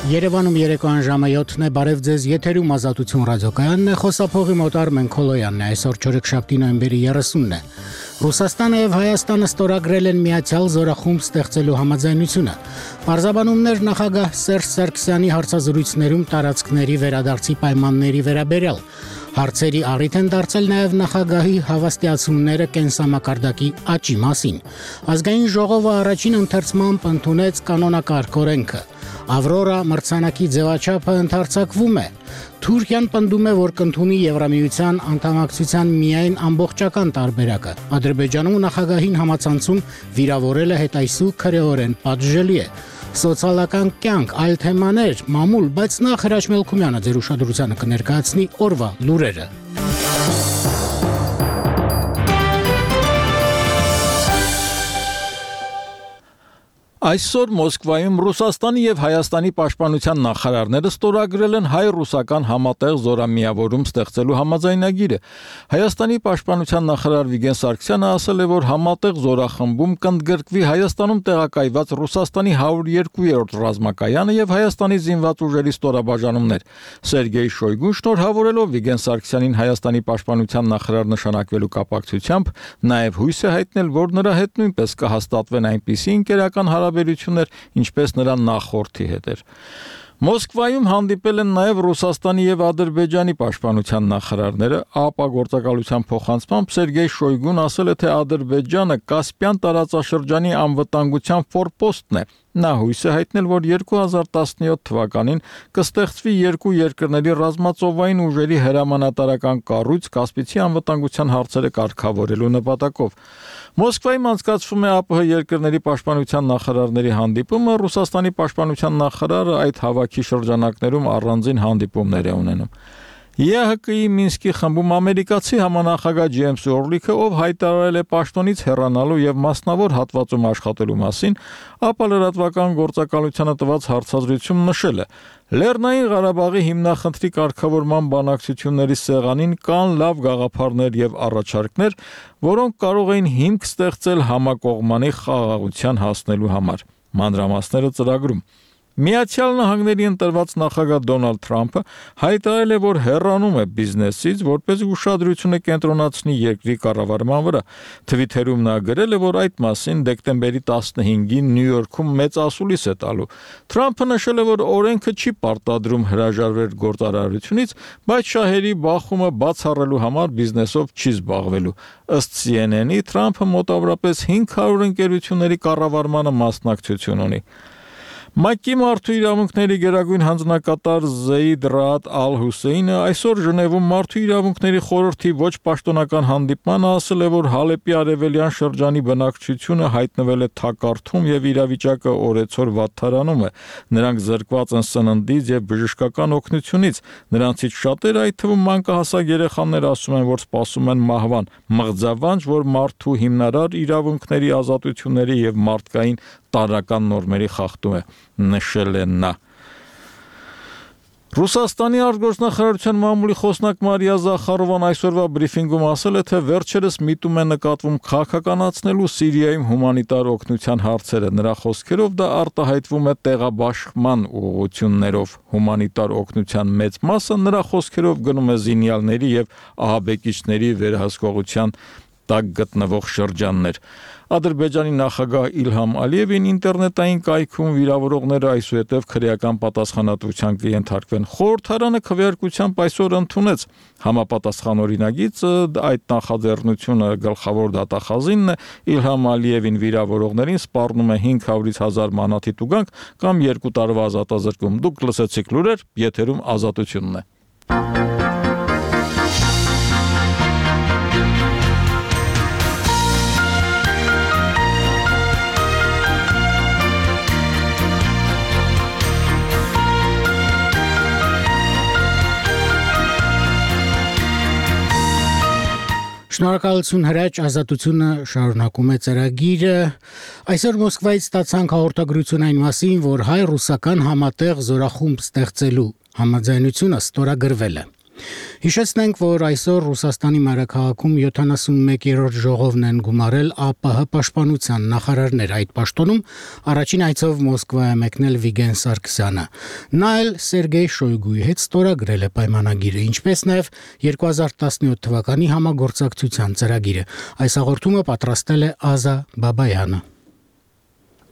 Երևանում երեկոյան ժամը 7-ն է, բարև ձեզ, եթերում Ազատություն ռադիոկայանն է, խոսափողի մոտ Արմեն Քոլոյանն է, այսօր չորեքշաբթի նոյեմբերի 30-ն է։ Ռուսաստանը եւ Հայաստանը ստորագրել են միացյալ զորախումբ ստեղծելու համաձայնությունը։ Պարզաբանումներ նախագահ Սերժ Սարգսյանի հարցազրույցներում տարածքների վերադարձի պայմանների վերաբերյալ։ Հարցերի առիթ են դարձել նաև նախագահի հավաստիացումները կենսամակարդակի աճի մասին։ Ազգային ժողովը առաջին ընթերցմամբ ընդունեց կանոնակարգ օրենքը։ Ավրորա մրցանակի ձևաչափը ընդարձակվում է։ Թուրքիան պնդում է, որ կընդունի Եվրամիության անդամակցության միայն ամբողջական տարբերակը։ Ադրբեջանում նախագահին համացանցում վիրավորելը հետայսու քրեորեն պատժելի է։ Սոցիալական կյանք, այլ թեմաներ, մամուլ, բայց նախ Հրաչ Մելքումյանը ձեր ուշադրությանը կներկայացնի օրվա լուրերը։ Այսօր Մոսկվայում Ռուսաստանի եւ Հայաստանի պաշտպանության նախարարները ստորագրել են հայ-ռուսական համատեղ զորամիավորում ստեղծելու համաձայնագիրը։ Հայաստանի պաշտպանության նախարար Վիգեն Սարգսյանը ասել է, որ համատեղ զորախմբում կընդգրկվի Հայաստանում տեղակայված Ռուսաստանի 102-րդ ռազմակայանը եւ Հայաստանի զինված ուժերի ստորաբաժանումներ։ Սերգեյ Շոյգուն շնորհավորելով Վիգեն Սարգսյանին Հայաստանի պաշտպանության նախարար նշանակվելու կապակցությամբ նաեւ հույս է հայտնել, որ նրա հետ նույնպես կհաստատվեն այնպիսի ընկերական հարաբերություններ, ինչպես նրա նախորդի հետ էր։ Մոսկվայում հանդիպել են նաև Ռուսաստանի եւ Ադրբեջանի պաշտպանության նախարարները, ԱՊԱ գործակալության փոխանցմամբ Սերգեյ Շոյգուն ասել է, թե Ադրբեջանը Կասպյան տարածաշրջանի անվտանգության ֆորպոստն է։ Նա հույս է հայտնել, որ 2017 թվականին կստեղծվի երկու երկրների ռազմածովային ուժերի հրամանատարական կառույց Կասպիցի անվտանգության հարցերը կարգավորելու նպատակով։ Մոսկվայում անցկացվում է ԱՊՀ երկրների պաշտպանության նախարարների հանդիպումը, Ռուսաստանի պաշտպանության նախարարը այդ հավաքի շրջանակներում առանձին հանդիպումներ է ունենում։ ԵՀԿ-ի Մինսկի խմբում ամերիկացի համանախագահ Ջեյմս Օրլիքը, ով հայտարարել է պաշտոնից հեռանալու եւ մասնավոր հատվածում աշխատելու մասին, ապա լրատվական գործակալությանը տված հարցազրույցում նշել է. Լեռնային Ղարաբաղի հիմնախնդրի կարգավորման բանակցությունների սեղանին կան լավ գաղափարներ եւ առաջարկներ, որոնք կարող էին հիմք ստեղծել համակողմանի խաղաղության հասնելու համար։ Մանրամասները ծրագրում։ Միացյալ Նահանգների ընտրված նախագահ Դոնալդ Թրամփը հայտարարել է, որ հեռանում է բիզնեսից, որպեսզի ուշադրությունը կենտրոնացնի երկրի կառավարման վրա։ Թվիթերում նա գրել է, որ այդ մասին դեկտեմբերի 15-ին Նյու Յորքում մեծ ասուլիս է տալու։ Թրամփը նշել է, որ օրենքը չի պարտադրում հրաժարվել գործարարությունից, բայց շահերի բախումը բացառելու համար բիզնեսով չի զբաղվելու։ Ըստ CNN-ի Թրամփը մոտավորապես 500 ընկերությունների կառավարմանը մասնակցություն ունի։ ՄԱԿ-ի մարդու իրավունքների գերագույն հանձնակատար Զեյդ Ռաադ Ալ-Հուսեյնը այսօր Ժնևում մարդու իրավունքների խորհրդի ոչ պաշտոնական հանդիպմանը ասել է, որ Հալեպի արևելյան շրջանի բնակչությունը հայտնվել է թակարդում եւ իրավիճակը օրեցօր վատթարանում է։ Նրանք զրկված են սննդից եւ բժշկական օգնությունից։ Նրանցից շատերը, այդ թվում մանկահասակ երեխաներ, ասում են, որ սպասում են մահվան։ Մղձավանջ, որ մարդու հիմնարար իրավունքների, ազատությունների եւ մարդկային տարրական նորմերի խախտում է, նշել է նա։ Ռուսաստանի արտգործնախարարության մամուլի խոսնակ Մարիա Զախարովան այսօրվա բրիֆինգում ասել է, թե վերջերս միտում է նկատվում քաղաքականացնելու Սիրիայում հումանիտար օգնության հարցերը։ Նրա խոսքերով դա արտահայտվում է տեղաբաշխման ուղղություններով։ Հումանիտար օգնության մեծ մասը նրա խոսքերով գնում է զինյալների եւ ահաբեկիչների վերահսկողության տակ գտնվող շրջաններ։ Ադրբեջանի նախագահ Իլհամ Ալիևին ինտերնետային կայքում վիրավորողները այսուհետև քրեական պատասխանատվության կենթարկվեն։ Խորհրդարանը քվեարկությամբ այսօր ընդունեց համապատասխան օրինագիծը, այդ նախաձեռնությունը գլխավոր դատախազինն է, Իլհամ Ալիևին վիրավորողներին սպառնում է 500-ից 1000 մանաթի տուգանք կամ 2 տարվա ազատազրկում։ Դուք լսեցիք լուրեր, եթերում Ազատությունն է։ Շնորհակալություն Հրաչ, Ազատությունը շարունակում է ծրագիրը։ Այսօր Մոսկվայից ստացանք հաղորդագրություն այն մասին, որ հայ-ռուսական համատեղ զորախումբ ստեղծելու համաձայնությունը ստորագրվել է։ Հիշեցնենք, որ այսօր Ռուսաստանի մայրաքաղաքում 71-րդ ժողովն են գումարել ԱՊՀ պաշտպանության նախարարներ։ Այդ պաշտոնում առաջին այցով Մոսկվա է մեկնել Վիգեն Սարգսյանը։ Նա էլ Սերգեյ Շոյգուի հետ ստորագրել է պայմանագիրը, ինչպես նաև 2017 թվականի համագործակցության ծրագիրը։ Այս հաղորդումը պատրաստել է Ազա Բաբայանը։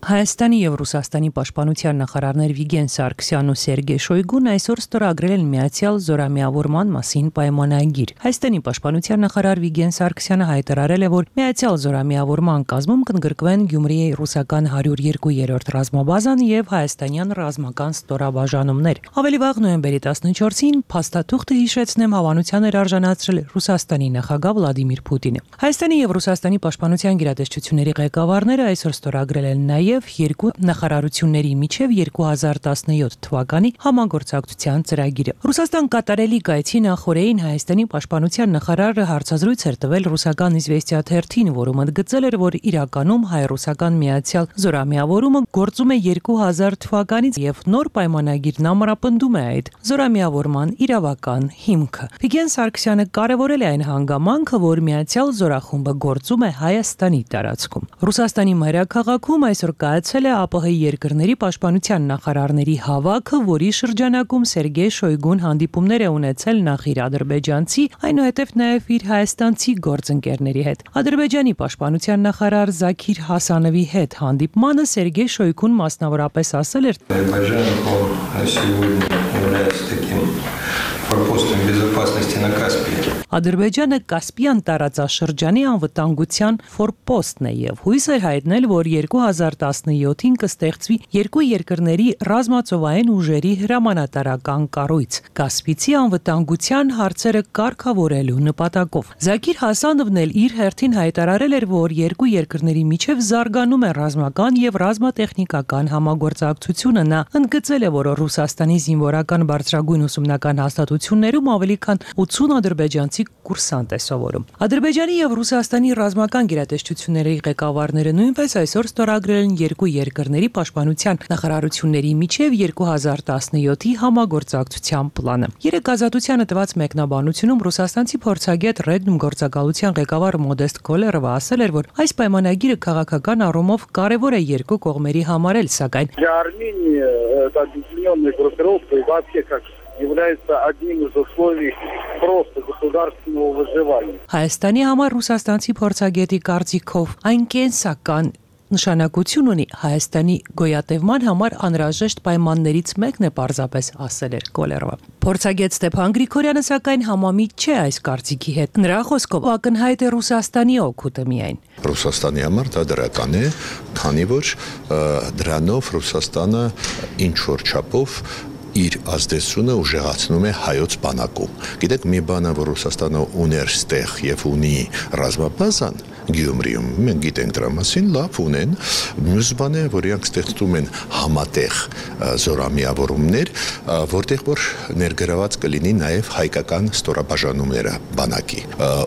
Հայաստանի եւ Ռուսաստանի պաշտպանության նախարարներ Վիգեն Սարգսյանն ու Սերգեյ Շոյգուն այսօր ստորագրել են միացյալ զորամիավորման մասին պայմանագիր։ Հայաստանի պաշտպանության նախարար Վիգեն Սարգսյանը հայտարարել է, որ միացյալ զորամիավորման կազմում կընդգրկվեն Գյումրիի ռուսական 102-րդ ռազմաբազան եւ հայաստանյան ռազմական ստորաբաժանումներ։ Ավելի վաղ նոյեմբերի 14-ին փաստաթուղթը հիշեցնեմ հավանության էր արժանացրել Ռուսաստանի նախագահ Վլադիմիր Պուտինը։ Հայաստանի եւ Ռուսաստանի պաշտպանության գերատեսչությունների ղեկավարները այսօր ստորագրել են նաև երկու նախարարությունների միջև 2017 թվականի համագործակցության ծրագիրը։ Ռուսաստան կատարելի գայցի նախորդին Հայաստանի պաշտպանության նախարարը հարցազրույց էր տվել ռուսական Իզվեստիա թերթին, որում ընդգծել էր, որ իրականում հայ-ռուսական միացյալ զորամիավորումը գործում է 2000 թվականից եւ նոր պայմանագիրն ամրապնդում է այդ զորամիավորման իրավական հիմքը։ Վիգեն Սարգսյանը կարևորել է այն հանգամանքը, որ միացյալ զորախումբը գործում է Հայաստանի տարածքում։ Ռուսաստանի մայրաքաղաքում այսօր կայացել է ԱՊՀ երկրների պաշտպանության նախարարների հավաքը, որի շրջանակում Սերգեյ Շոյգուն հանդիպումներ է ունեցել նախ իր ադրբեջանցի, այնուհետև նաև իր հայաստանցի գործընկերների հետ։ Ադրբեջանի պաշտպանության նախարար Զաքիր Հասանովի հետ հանդիպմանը Սերգեյ Շոյգուն մասնավորապես ասել էր. Ադրբեջանը Կասպիան տարածաշրջանի անվտանգության ֆորպոստն է եւ հույս էր հայտնել, որ 2017-ին կստեղծվի երկու երկրների ռազմածովային ուժերի հրամանատարական կառույց Կասպիցի անվտանգության հարցերը կարգավորելու նպատակով։ Զաքիր Հասանովն էլ իր հերթին հայտարարել էր, որ երկու երկրների միջև զարգանում է ռազմական եւ ռազմատեխնիկական համագործակցությունը։ Նա ընդգծել է, որ Ռուսաստանի զինվորական բարձրագույն ուսումնական հաստատություններում ավելի քան 80 ադրբեջանցի կուրսանտ է սովորում։ Ադրբեջանի եւ Ռուսաստանի ռազմական գերատեսչությունների ղեկավարները նույնպես այսօր ստորագրել են երկու երկրների պաշտպանության նախարարությունների միջև 2017-ի համագործակցության պլանը։ Երեք ազատությանը տված մեկնաբանությունում ռուսաստանցի փորձագետ Ռեգնում գործակալության ղեկավար Մոդեստ Կոլերովը ասել էր, որ այս պայմանագիրը քաղաքական առումով կարևոր է երկու կողմերի համար էլ, սակայն является одним из условий просто государственного выживания. Հայաստանի համար ռուսաստանցի փորձագետի կարծիքով այն կենսական նշանակություն ունի Հայաստանի գոյատևման համար անհրաժեշտ պայմաններից մեկն է պարզապես ասել էր Կոլերովը։ Փորձագետ Ստեփան Գրիգորյանը սակայն համամիտ չէ այս կարծիքի հետ։ Նրա խոսքով ակնհայտ է Ռուսաստանի օգուտը միայն։ Ռուսաստանի համար դա դրական է, քանի որ դրանով Ռուսաստանը ինչ որ չափով իր ազդեցությունը ուժեղացնում է հայոց բանակում։ Գիտեք, մի բան է, որ Ռուսաստանը ուներ ստեղ եւ ունի ռազմաբազան Գյումրիում, մենք գիտենք դրա մասին, լավ ունեն, մյուս բան է, որ իրանք ստեղծում են համատեղ զորամիավորումներ, որտեղ որ ներգրաված կլինի նաև հայկական ստորաբաժանումները բանակի։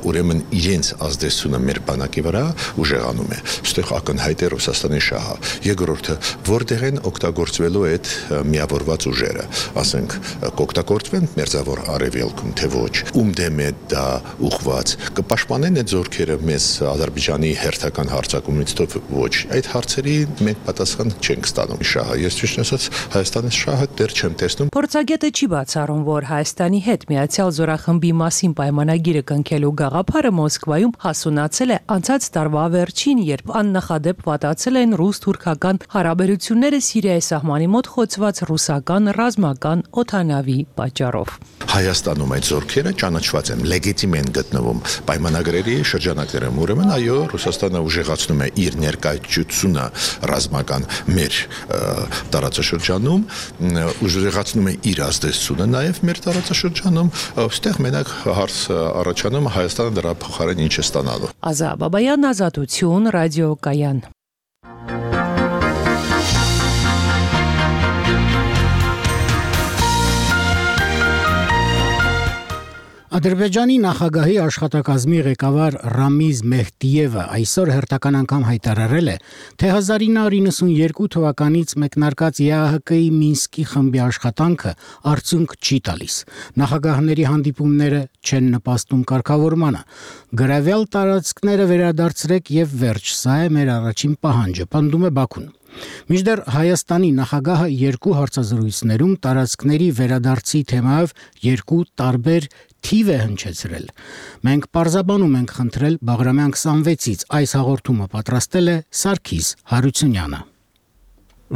Ուրեմն իրենց ազդեցությունը մեր բանակի վրա ուժեղանում է։ Այստեղ ակնհայտ է Ռուսաստանի շահը։ Երկրորդը, որտեղ են օգտագործվելու այդ միավորված ուժերը, ասենք, կօգտագործվեն մերձավոր արևելքում, թե ոչ, ում դեմ է դա ուղղված, կպաշտպանեն այդ զորքերը մեզ Ադրբեջանի հերթական հարձակումից ոչ։ Այդ հարցերի մենք պատասխան չենք ստանում շահը։ Ես ճիշտ ասած Հայաստանի շահը դեռ չեմ տեսնում։ Փորձագետը չի բացառում, որ Հայաստանի հետ միացյալ զորախմբի մասին պայմանագիրը կնքելու գաղափարը Մոսկվայում հասունացել է անցած տարվա վերջին, երբ աննախադեպ վատացել են ռուս-թուրքական հարաբերությունները Սիրիայի սահմանի մոտ խոցված ռուսական ռազմական օդանավի պատճառով։ Հայաստանում այդ զորքերը ճանաչված են, լեգիտիմ են գտնվում պայմանագրերի շրջանակներում։ Ուրեմն այո, Ռուսաստանը ուժեղացնում է իր ներկայությունը ռազմական մեր տարածաշրջանում, ուժեղացնում է իր ազդեցությունը նաև մեր տարածաշրջանում, այստեղ մենակ հարց առաջանում Հայաստանը դրա փոխարեն ինչ է ստանալու։ Ազա Բաբայան, Ազատություն, ռադիոկայան։ Ադրբեջանի նախագահի աշխատակազմի ղեկավար Ռամիզ Մեհդիևը այսօր հերթական անգամ հայտարարել է, թե 1992 թվականից մեկնարկած ԵԱՀԿ-ի Մինսկի խմբի աշխատանքը արդյունք չի տալիս։ Նախագահների հանդիպումները չեն նպաստում կարգավորմանը։ Գրավյալ տարածքները վերադարձրեք եւ վերջ, սա է մեր առաջին պահանջը, պնդում է Բաքուն։ Մինչդեռ Հայաստանի նախագահը երկու հարցազրույցներում տարածքների վերադարձի թեմայով երկու տարբեր թիվ է հնչեցրել։ Մենք պարզաբանում ենք խնդրել Բաղրամյան 26-ից, այս հաղորդումը պատրաստել է Սարգիս Հարությունյանը։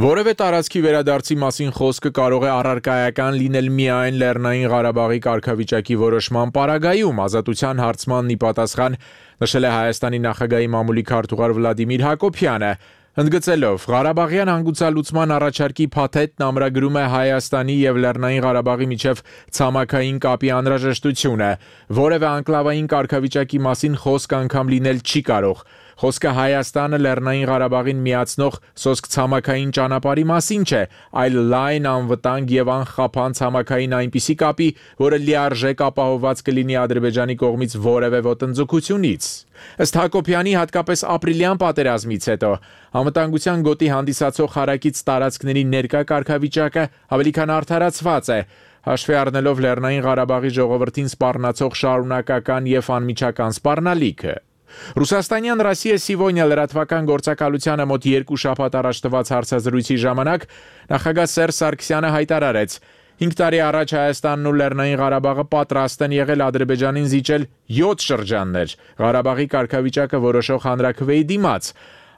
Որևէ տարածքի վերադարձի մասին խոսքը կարող է առարկայական լինել միայն Լեռնային Ղարաբաղի կարգավիճակի որոշման պարագայում, ազատության հարցմանն ի պատասխան նշել է Հայաստանի նախագահի մամուլի քարտուղար Վլադիմիր Հակոբյանը։ Ընդգծելով Ղարաբաղյան հանգուցալուծման առաջարկի փաթեթն ամրագրում է Հայաստանի եւ Լեռնային Ղարաբաղի միջև ցամաքային կապի անհրաժեշտությունը, որևէ անկլավային կարգավիճակի մասին խոսք անգամ լինել չի կարող։ Խոսքը Հայաստանը Լեռնային Ղարաբաղին միացնող սոսկ ցամաքային ճանապարհի մասին չէ, այլ լայն անվտանգ եւ անխափան ցամաքային այնպիսի կապի, որը լիարժեք ապահովված կլինի Ադրբեջանի կողմից որևէ ոտնձգությունից։ Ըստ Հակոբյանի, հատկապես ապրիլյան պատերազմից հետո անվտանգության գոտի հանդիսացող հարակից տարածքների ներկա կարգավիճակը ավելի քան արդարացված է, հաշվի առնելով Լեռնային Ղարաբաղի ժողովրդին սպառնացող շարունակական եւ անմիջական սպառնալիքը։ Ռուսաստանյան «Ռոսիա Սիվոնյա» լրատվական գործակալությանը մոտ 2 շաբաթ առաջ տված հարցազրույցի ժամանակ նախագահ Սերժ Սարգսյանը հայտարարեց. 5 տարի առաջ Հայաստանն ու Լեռնային Ղարաբաղը պատրաստ են եղել Ադրբեջանին զիջել 7 շրջաններ, Ղարաբաղի կարգավիճակը որոշող հանրաքվեի դիմաց։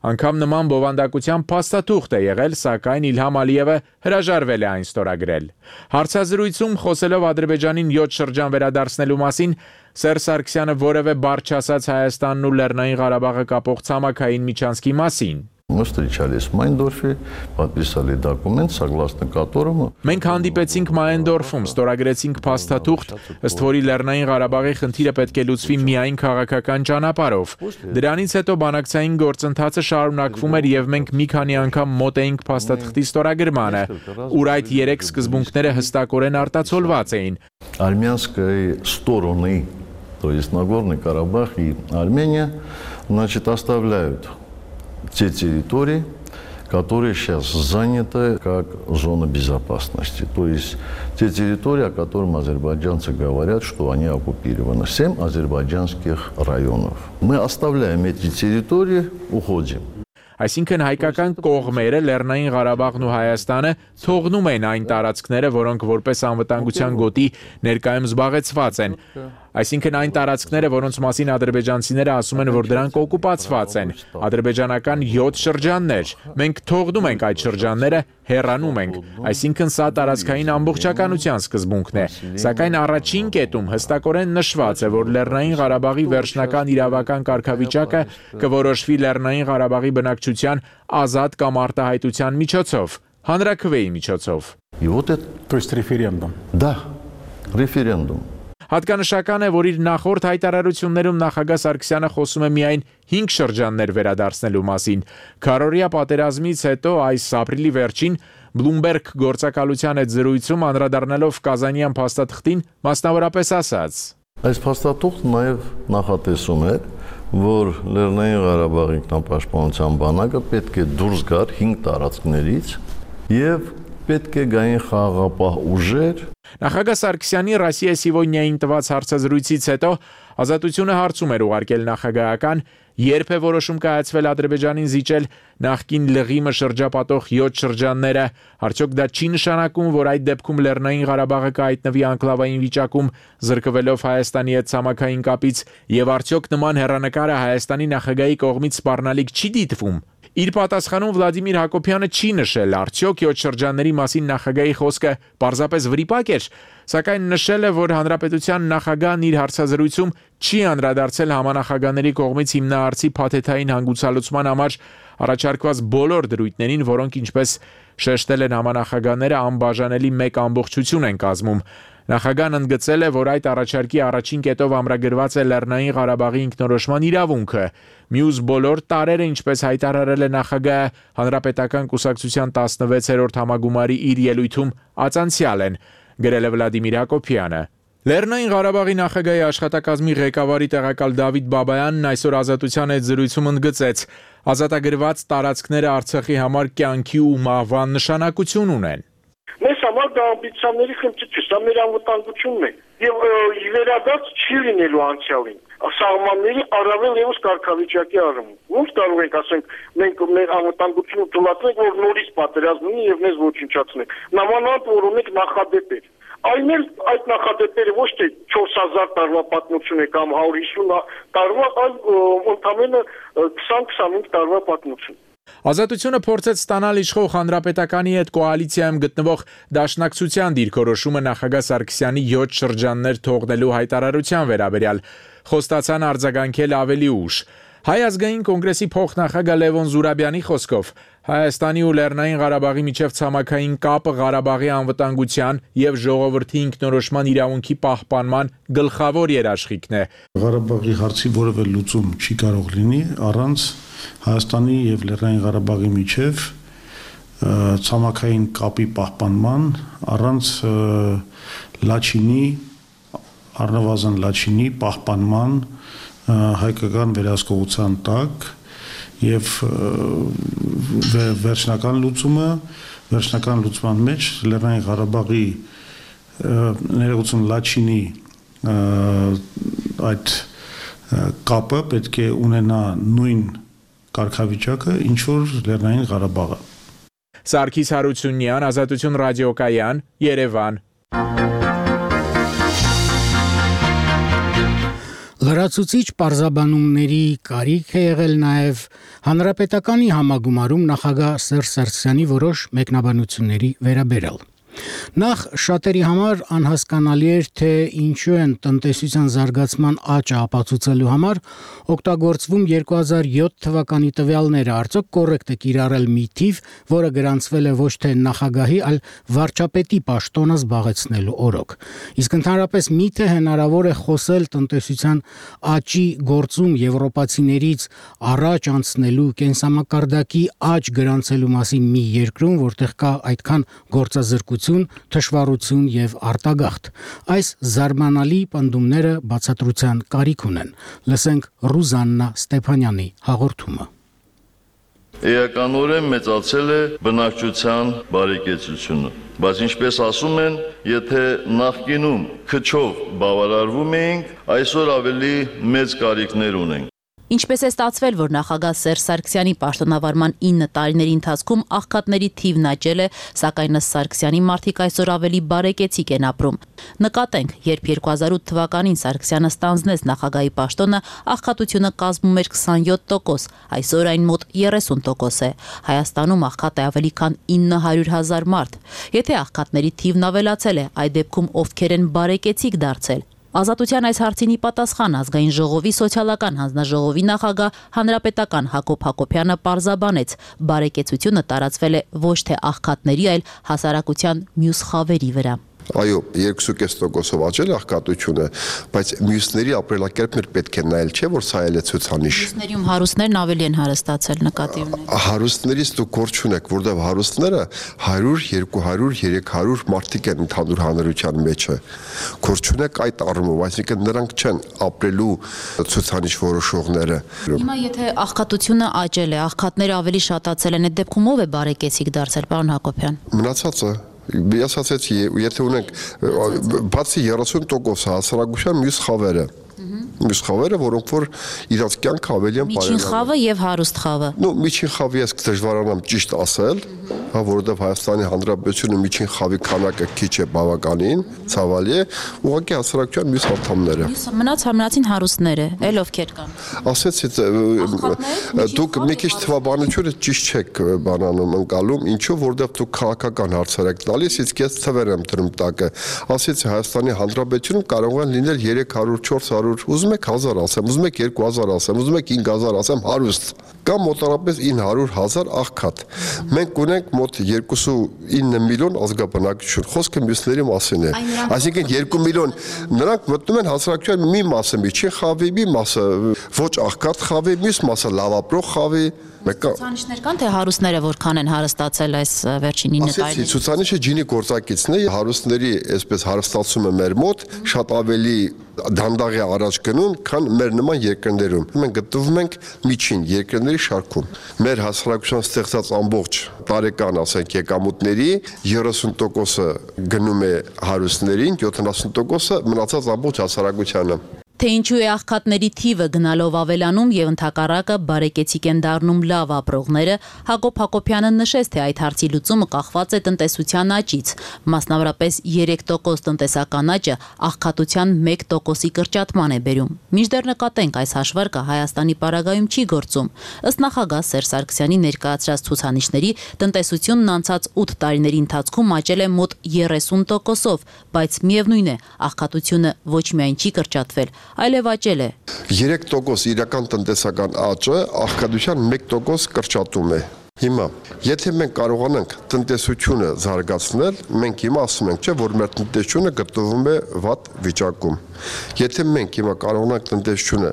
Անգամ նման բովանդակության փաստաթուղթ է եղել, սակայն Իլհամ Ալիևը հրաժարվել է այն ստորագրել։ Հարցազրույցում խոսելով Ադրբեջանին 7 շրջան վերադարձնելու մասին, Սերժ Սարգսյանը որևէ բառ չասաց Հայաստանն ու Լեռնային Ղարաբաղը կապող ցամաքային միջանցքի մասին։ Мы встречались в Майндорфе, подписали документ, согласно которому Մենք հանդիպեցինք Մայենդորֆում, ստորագրեցինք փաստաթուղթ, ըստ որի Լեռնային Ղարաբաղի խնդիրը պետք է լուծվի միայն քաղաքական ճանապարհով։ Դրանից հետո բանակցային գործընթացը շարունակվում էր եւ մենք մի քանի անգամ մոտ էինք փաստաթղթի ստորագրմանը, ուր այդ 3 սկզբունքները հստակորեն արտացոլված էին։ армянской стороны, то есть Нагорный Карабах и Армения, значит, оставляют те территории, которые сейчас заняты как зона безопасности. То есть те территории, о которых азербайджанцы говорят, что они оккупированы. 7 азербайджанских районов. Мы оставляем эти территории, уходим. Այսինքն հայկական կողմերը Լեռնային Ղարաբաղն ու Հայաստանը թողնում են այն տարածքները, որոնք որպես անվտանգության գոտի ներկայում զբաղեցված են։ Այսինքն այն տարածքները, որոնց մասին ադրբեջանցիները ասում են, որ դրանք օկուպացված են, ադրբեջանական 7 շրջաններ։ Մենք թողնում ենք այդ շրջանները, հեռանում ենք։ Այսինքն սա տարածքային ամբողջականության սկզբունքն է։ Սակայն առաջին կետում հստակորեն նշված է, որ Լեռնային Ղարաբաղի վերջնական իրավական կարգավիճակը կորոշվի Լեռնային Ղարաբաղի բնակչության ազատ կամ արտահայտության միջոցով, հանրաքվեի միջոցով։ И вот это, То есть референдум. да, референдум. Հատկանշական է, որ իր նախորդ հայտարարություններում նախագահ Սարգսյանը խոսում է միայն 5 շրջաններ վերադարձնելու մասին։ Քարորիա պատերազմից հետո այս ապրիլի վերջին Bloomberg գործակալության հետ զրույցում անդրադառնալով Կազանյան փաստաթղթին մասնավորապես ասաց. Այս փաստաթուղթը նաև նախատեսում է, որ Լեռնային Ղարաբաղի ինքնապաշտպանության բանակը պետք է դուրս գար 5 տարածքներից եւ պետք է գային խաղաղապահ ուժեր։ Նախագահ Սարգսյանի «Ռոսիա Սիվոնյային» տված հարցազրույցից հետո Ազատությունը հարցում էր ուղարկել նախագահական, երբ է որոշում կայացվել Ադրբեջանին զիջել նախկին լղիմը շրջապատող 7 շրջանները, արդյոք դա չի նշանակում, որ այդ դեպքում Լեռնային Ղարաբաղը կհայտնվի անկլավային վիճակում, զրկվելով Հայաստանի հետ ցամաքային կապից, եւ արդյոք նման հեռանկարը Հայաստանի նախագահի կողմից սպառնալիք չի դիտվում։ Իր պատասխանում Վլադիմիր Հակոբյանը չի նշել արդյոք 7 շրջանների մասին նախագահի խոսքը պարզապես վրիպակ էր, սակայն նշել է, որ հանրապետության նախագահն իր հարցազրույցում չի անդրադարձել համանախագահների կողմից հիմնահարցի փաթեթային հանգուցալուծման համար առաջարկված բոլոր դրույթներին, որոնք ինչպես շեշտել են համանախագահները անբաժանելի մեկ ամբողջություն են կազմում։ Նախագահն ընդգծել է, որ այդ առաջարկի առաջին կետով ամրագրված է Լեռնային Ղարաբաղի ինքնորոշման իրավունքը։ Մյուս բոլոր տարերը, ինչպես հայտարարել է նախագահը, Հանրապետական կուսակցության 16-րդ համագումարի իր ելույթում ածանցյալ են, գրել է Վլադիմիր Հակոբյանը։ Լեռնային Ղարաբաղի նախագահի աշխատակազմի ղեկավարի տեղակալ Դավիթ Բաբայանն այսօր Ազատության հետ զրույցում ընդգծեց. ազատագրված տարածքները Արցախի համար կյանքի ու մահվան նշանակություն ունեն։ Մեզ համար դա ամբիցիաների խնդիր չէ, դա մեր անվտանգությունն է։ Եվ վերադարձ չի լինելու անցյալին։ Սահմանների առավել ևս կարգավիճակի առումով։ Ոնց կարող ենք ասենք մենք մեր անվտանգությունը թույլատրենք, որ նորից պատերազմ լինի եւ մեզ ոչնչացնեն։ Նամանավանդ որ ունենք նախադեպեր։ Այն էլ այդ նախադեպերը ոչ թե 4000 տարվա պատմություն է կամ 150 տարվա, այլ ընդամենը 20-25 տարվա պատմություն։ Ազատությունը փորձեց ստանալ իշխող հանրապետականի հետ կոալիցիայում գտնվող դաշնակցության դիրքորոշումը նախագահ Սարգսյանի 7 շրջաններ թողնելու հայտարարության վերաբերյալ, խոստացան արձագանքել ավելի ուշ։ Հայ ազգային կոնգրեսի փոխնախագահ Լևոն Զուրաբյանի խոսքով Հայաստանի ու Լեռնային Ղարաբաղի միջև ցամաքային կապը Ղարաբաղի անվտանգության եւ ժողովրդի ինքնորոշման իրավունքի պահպանման գլխավոր երաշխիքն է։ Ղարաբաղի հարցի որևէ լուծում չի կարող լինի առանց Հայաստանի եւ Լեռնային Ղարաբաղի միջև ցամաքային կապի պահպանման, առանց Լաչինի, առնվազն Լաչինի պահպանման հայկական վերահսկողության տակ եւ վերջնական լուծման մեջ Լեռնային Ղարաբաղի ներողություն Լաչինի այդ կապը պետք է ունենա նույն կարգավիճակը, ինչ որ Լեռնային Ղարաբաղը։ Սարգիս Հարությունյան, Ազատություն ռադիոկայան, Երևան։ Լրացուցիչ պարզաբանումների կարիք է եղել նաև հանրապետականի համագումարում նախագահ Սերժ Սարգսյանի որոշ մեկնաբանությունների վերաբերյալ։ Նախ շատերի համար անհասկանալի էր, թե ինչու են տնտեսության զարգացման աճը ապացուցելու համար օգտագործվում 2007 թվականի տվյալները, արդյոք կոռեկտ է կիրառել մի թիվ, որը գրանցվել է ոչ թե նախագահի, այլ վարչապետի պաշտոնը զբաղեցնելու օրոք։ Իսկ ընդհանրապես միթե հնարավոր է խոսել տնտեսության աճի գործում եվրոպացիներից առաջ անցնելու կենսամակարդակի աճ գրանցելու մասին մի երկրում, որտեղ կա այդքան գործազրկություն, թշվառություն եւ արտագաղթ։ Այս զարմանալի պնդումները բացատրության կարիք ունեն։ Լսենք Ռուզաննա Ստեփանյանի հաղորդումը։ Էականորեն մեծացել է բնակչության բարեկեցությունը, բայց ինչպես ասում են, եթե նախկինում քչով բավարարվում էինք, այսօր ավելի մեծ կարիքներ ունենք։ Ինչպես է ստացվել, որ նախագահ Սերժ Սարգսյանի պաշտոնավարման 9 տարիների ընթացքում աղքատների թիվն աճել է, սակայն ըստ Սարգսյանի մարդիկ այսօր ավելի բարեկեցիկ են ապրում։ Նկատենք, երբ 2008 թվականին Սարգսյանը ստանձնեց նախագահի պաշտոնը, աղքատությունը կազմում էր 27%, այսօր այն մոտ 30% է։ Հայաստանում աղքատ է ավելի քան 900,000 մարդ։ Եթե աղքատների թիվն ավելացել է, այդ դեպքում ովքեր են բարեկեցիկ դարձել։ Ազատության այս հարցին ի պատասխան ազգային ժողովի սոցիալական հանձնաժողովի նախագահ հանրապետական Հակոբ Հակոբյանը պարզաբանեց, բարեկեցությունը տարածվել է ոչ թե աղքատների, այլ հասարակության մյուս խավերի վրա։ Այո, 2.5%-ով աճել աղքատությունը, բայց մյուսների ապրելակերպն էլ պետք է նայել, չէ՞ որ սա էլ է ցուցանիշ։ Մյուսներում հարուստներն ավելի են հարստացել, նկատի ունեք։ Հարուստներից դուք գործ չունեք, որտեղ հարուստները 100, 200, 300 մարդիկ են ընդհանուր հանրության մեջը։ Գործ չունեք այդ առումով, այսինքն նրանք չեն ապրելու ցուցանիշ որոշողները։ Հիմա եթե աղքատությունը աճել է, աղքատները ավելի շատացել են, այդ դեպքում ով է բարեկեցիկ դարձել, պարոն Հակոբյան։ Մնացածը Ես ասացի, եթե ունենք բացի 30% հասարակության մյուս խավերը, որոնք որ իրաց կյանքը ավելի են Միջին խավը եւ հարուստ խավը։ Միջին խավի ես դժվարանամ ճիշտ ասել, որովհետեւ Հայաստանի Հանրապետությունը միջին խավի քանակը քիչ է բավականին, ցավալի է, ուղղակի հասարակության մյուս անդամները։ Մնացին հարուստները, էլ ովքեր կան։ Ասեցի, դուք մի քիչ թվաբանությունը ճիշտ չեք բանանում ընկալում, ինչու որովհետեւ դուք քաղաքական հարցեր եք տալիս, իսկ ես թվեր եմ դրում տակը։ Ասեցի Հայաստանի Հանրապետությունում կարող են լինել 300, 400, ուզում եք 1000 ասեմ, ուզում եք 2000 ասեմ, ուզում եք 5000 ասեմ, հարուստ կամ մոտարապես 900,000 աղքատ։ Մենք ունենք մոտ 2.9 միլիոն ազգաբնակչություն, խոսքը մյուսների մասին է։ Այսինքն 2 միլիոն նրանք մտնում են հասարակության մի մասը միջին խավի, մի մասը ոչ աղքատ խավի, մյուս մասը լավ ապրող խավի։ Ցուցանիշներ կան, թե հարուստները որքան են հարստացել այս վերջին 9 տարիներին։ Ցուցանիշը ջինի գործակիցն է, հարուստների այսպես հարստացումը մեր մոտ շատ ավելի դանդաղ է առաջ գնում, քան մեր նման երկրներում։ Մենք գտնվում ենք միջին երկրների շարքում։ Մեր հասարակության ստեղծած ամբողջ տարեկան, ասենք, եկամուտների 30%-ը գնում է հարուստներին, 70%-ը մնացած ամբողջ հասարակությանը։ Թե ինչու է աղքատների թիվը գնալով ավելանում եւ ընդհակառակը բարեկեցիկ են դառնում լավ ապրողները, Հակոբ Հակոբյանը նշեց, թե այդ հարցի լուծումը կախված է տնտեսության աճից, մասնավորապես 3% տնտեսական աճը աղքատության 1%-ի կրճատման է բերում։ Մինչդեռ նկատենք, այս հաշվարկը Հայաստանի պարագայում չի գործում։ Ըստ նախագահ Սերժ Սարգսյանի ներկայացրած ցուցանիշների, տնտեսությունն անցած 8 տարիների ընթացքում աճել է մոտ 30%-ով, բայց միևնույն է, աղքատությունը ոչ միայն չի կրճատվել, այլև աճել է։ 3% իրական տնտեսական աճը աղքատության 1% կրճատում է։ Հիմա, եթե մենք կարողանանք տնտեսությունը զարգացնել, մենք հիմա ասում ենք, չէ, որ մեր տնտեսությունը գտնվում է վատ վիճակում։ Եթե մենք հիմա կարողանանք տնտեսությունը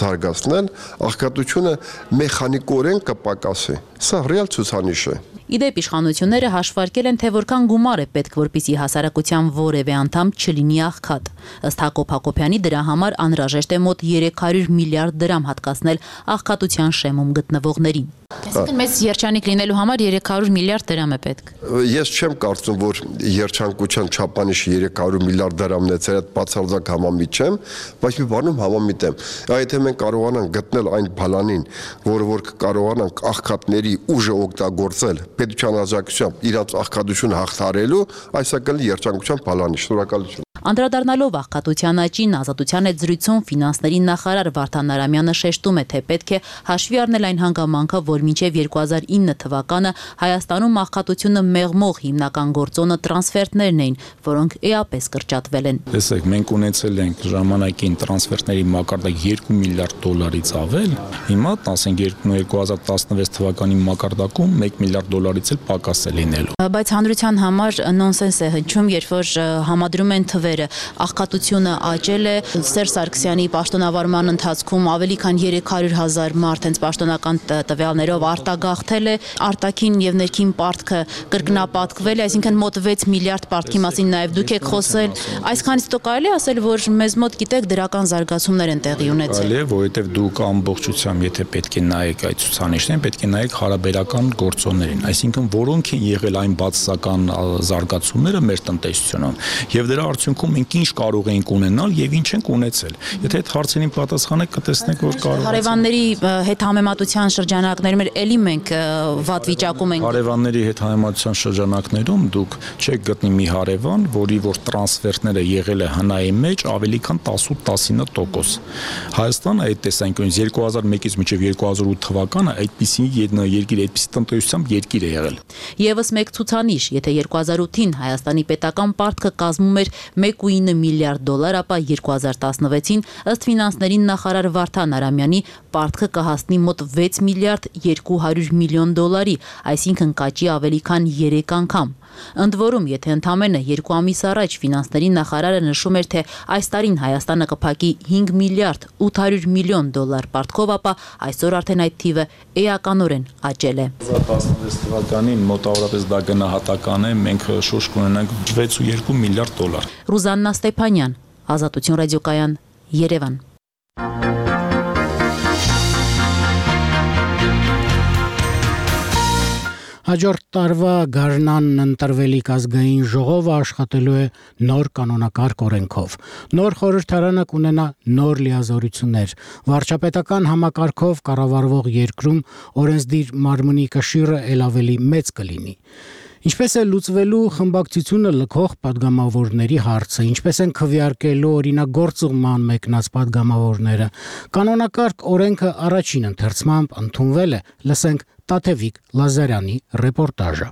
զարգացնել, աղքատությունը մեխանիկորեն կպակասի։ Սա ռեալ ցուցանիշ է։ Իդեպ իշխանությունները հաշվարկել են, թե որքան գումար է պետք, որպեսզի հասարակության որևէ անդամ չլինի աղքատ։ Ըստ Հակոբ Հակոբյանի դրա համար անհրաժեշտ է մոտ 300 միլիարդ դրամ հատկացնել աղքատության շեմում գտնվողներին։ Այսինքն մեծ երջանիկ լինելու համար 300 միլիարդ դրամ է պետք։ Ես չեմ կարծում, որ երջանկության չափանիշը 300 միլիարդ դրամն է, ծեր այդ բացարձակ համամիտ չեմ, բայց մի բանում համամիտ եմ։ Եթե մենք կարողանանք գտնել այն բալանին, որ կարողանանք աղքատների ուժը օգտագործել պետության աջակցությամբ իրաց աղքատությունը հաղթարելու, այսա կլինի երջանկության բալանի։ Շնորհակալություն։ Անդրադառնալով աղքատության աճին, Ազատության հետ զրույցում ֆինանսների նախարար Վարդան Արամյանը շեշտում է, թե պետք է հաշվի առնել այն հանգամանքը, որ մինչև 2009 թվականը Հայաստանում աղքատությունը մեղմող հիմնական գործոնը տրանսֆերտներն էին, որոնք էապես կրճատվել են։ Տեսեք, մենք ունեցել ենք ժամանակին տրանսֆերտների մակարդակ 2 միլիարդ դոլարից ավել, հիմա ասենք 2016 թվականի մակարդակում 1 միլիարդ դոլարից էլ պակաս է լինելու։ Բայց հանրության համար նոնսենս է հնչում, երբ որ համադրում են թվերը, աղքատությունը աճել է, Սերժ Սարգսյանի պաշտոնավարման ընթացքում ավելի քան 300,000 մարդ հենց պաշտոնական տվյալներով արտագաղթել է, արտաքին եւ ներքին պարտքը կրկնապատկվել է, այսինքն մոտ 6 միլիարդ պարտքի մասին նաեւ դուք եք խոսել, այսքանից հետո կարելի է ասել, որ մեզ մոտ գիտեք դրական զարգացումներ են տեղի ունեցել։ Այլ է, որովհետեւ դուք ամբողջությամբ եթե պետք է նայեք այդ ցուցանիշներին, պետք է նայեք հարաբերական գործոններին, այսինքն որոնք են եղել այն բացասական զարգացումները մեր տնտեսությունում եւ դրա արդյունքում մենք ինչ կարող ենք ունենալ եւ ինչ ենք ունեցել։ Եթե այդ հարցերին պատասխանեք, կտեսնեք, որ կարող է։ Հարևանների հետ համեմատության շրջանակներում էլի մենք վատ վիճակում ենք։ Հարևանների հետ համեմատության շրջանակներում դուք չեք գտնի մի հարևան, որի որ տրանսֆերտները եղել է հնայի մեջ ավելի քան 18-19%։ Հայաստանը այդ տեսանկյունից 2001-ից մինչև 2008 թվականը այդպիսի երկիր, այդպիսի տնտեսությամբ երկիր է եղել։ Եվս մեկ ցուցանիշ, եթե 2008-ին Հայաստանի պետական պարտքը կազմում էր 1.9 միլիարդ դոլար, ապա 2016-ին ըստ ֆինանսների նախարար Վարդան Արամյանի պարտքը կհասնի մոտ 6 միլիարդ 200 միլիոն դոլարի, այսինքն կաճի ավելի քան 3 անգամ։ Ընդ որում, եթե ընդամենը 2 ամիս առաջ ֆինանսների նախարարը նշում էր, թե այս տարին Հայաստանը կփակի 5 միլիարդ 800 միլիոն դոլար պարտքով, ապա այսօր արդեն այդ թիվը էականորեն աճել է։ 2016 թվականին մոտավորապես դա գնահատական է, մենք շուրջ կունենանք 6.2 միլիարդ դոլար։ Ռուզաննա Ստեփանյան, Ազատություն ռադիոկայան, Երևան։ Հաջորդ տարվա գարնանն ընտրվելիք ազգային ժողովը աշխատելու է նոր կանոնակարգ օրենքով։ Նոր խորհրդարանը կունենա նոր լիազորություններ։ Վարչապետական համակարգով կառավարվող երկրում օրենսդիր մարմնի կշիռը ել ավելի մեծ կլինի։ Ինչպես է լուծվելու խմբակցությունը լքող падգամավորների հարցը, ինչպես են քվեարկելու օրինագործման մեկնած падգամավորները։ Կանոնակարգ օրենքը առաջին ընթերցմամբ ընդունվել է, լսենք Տաթևիկ Լազարյանի ռեպորտաժը։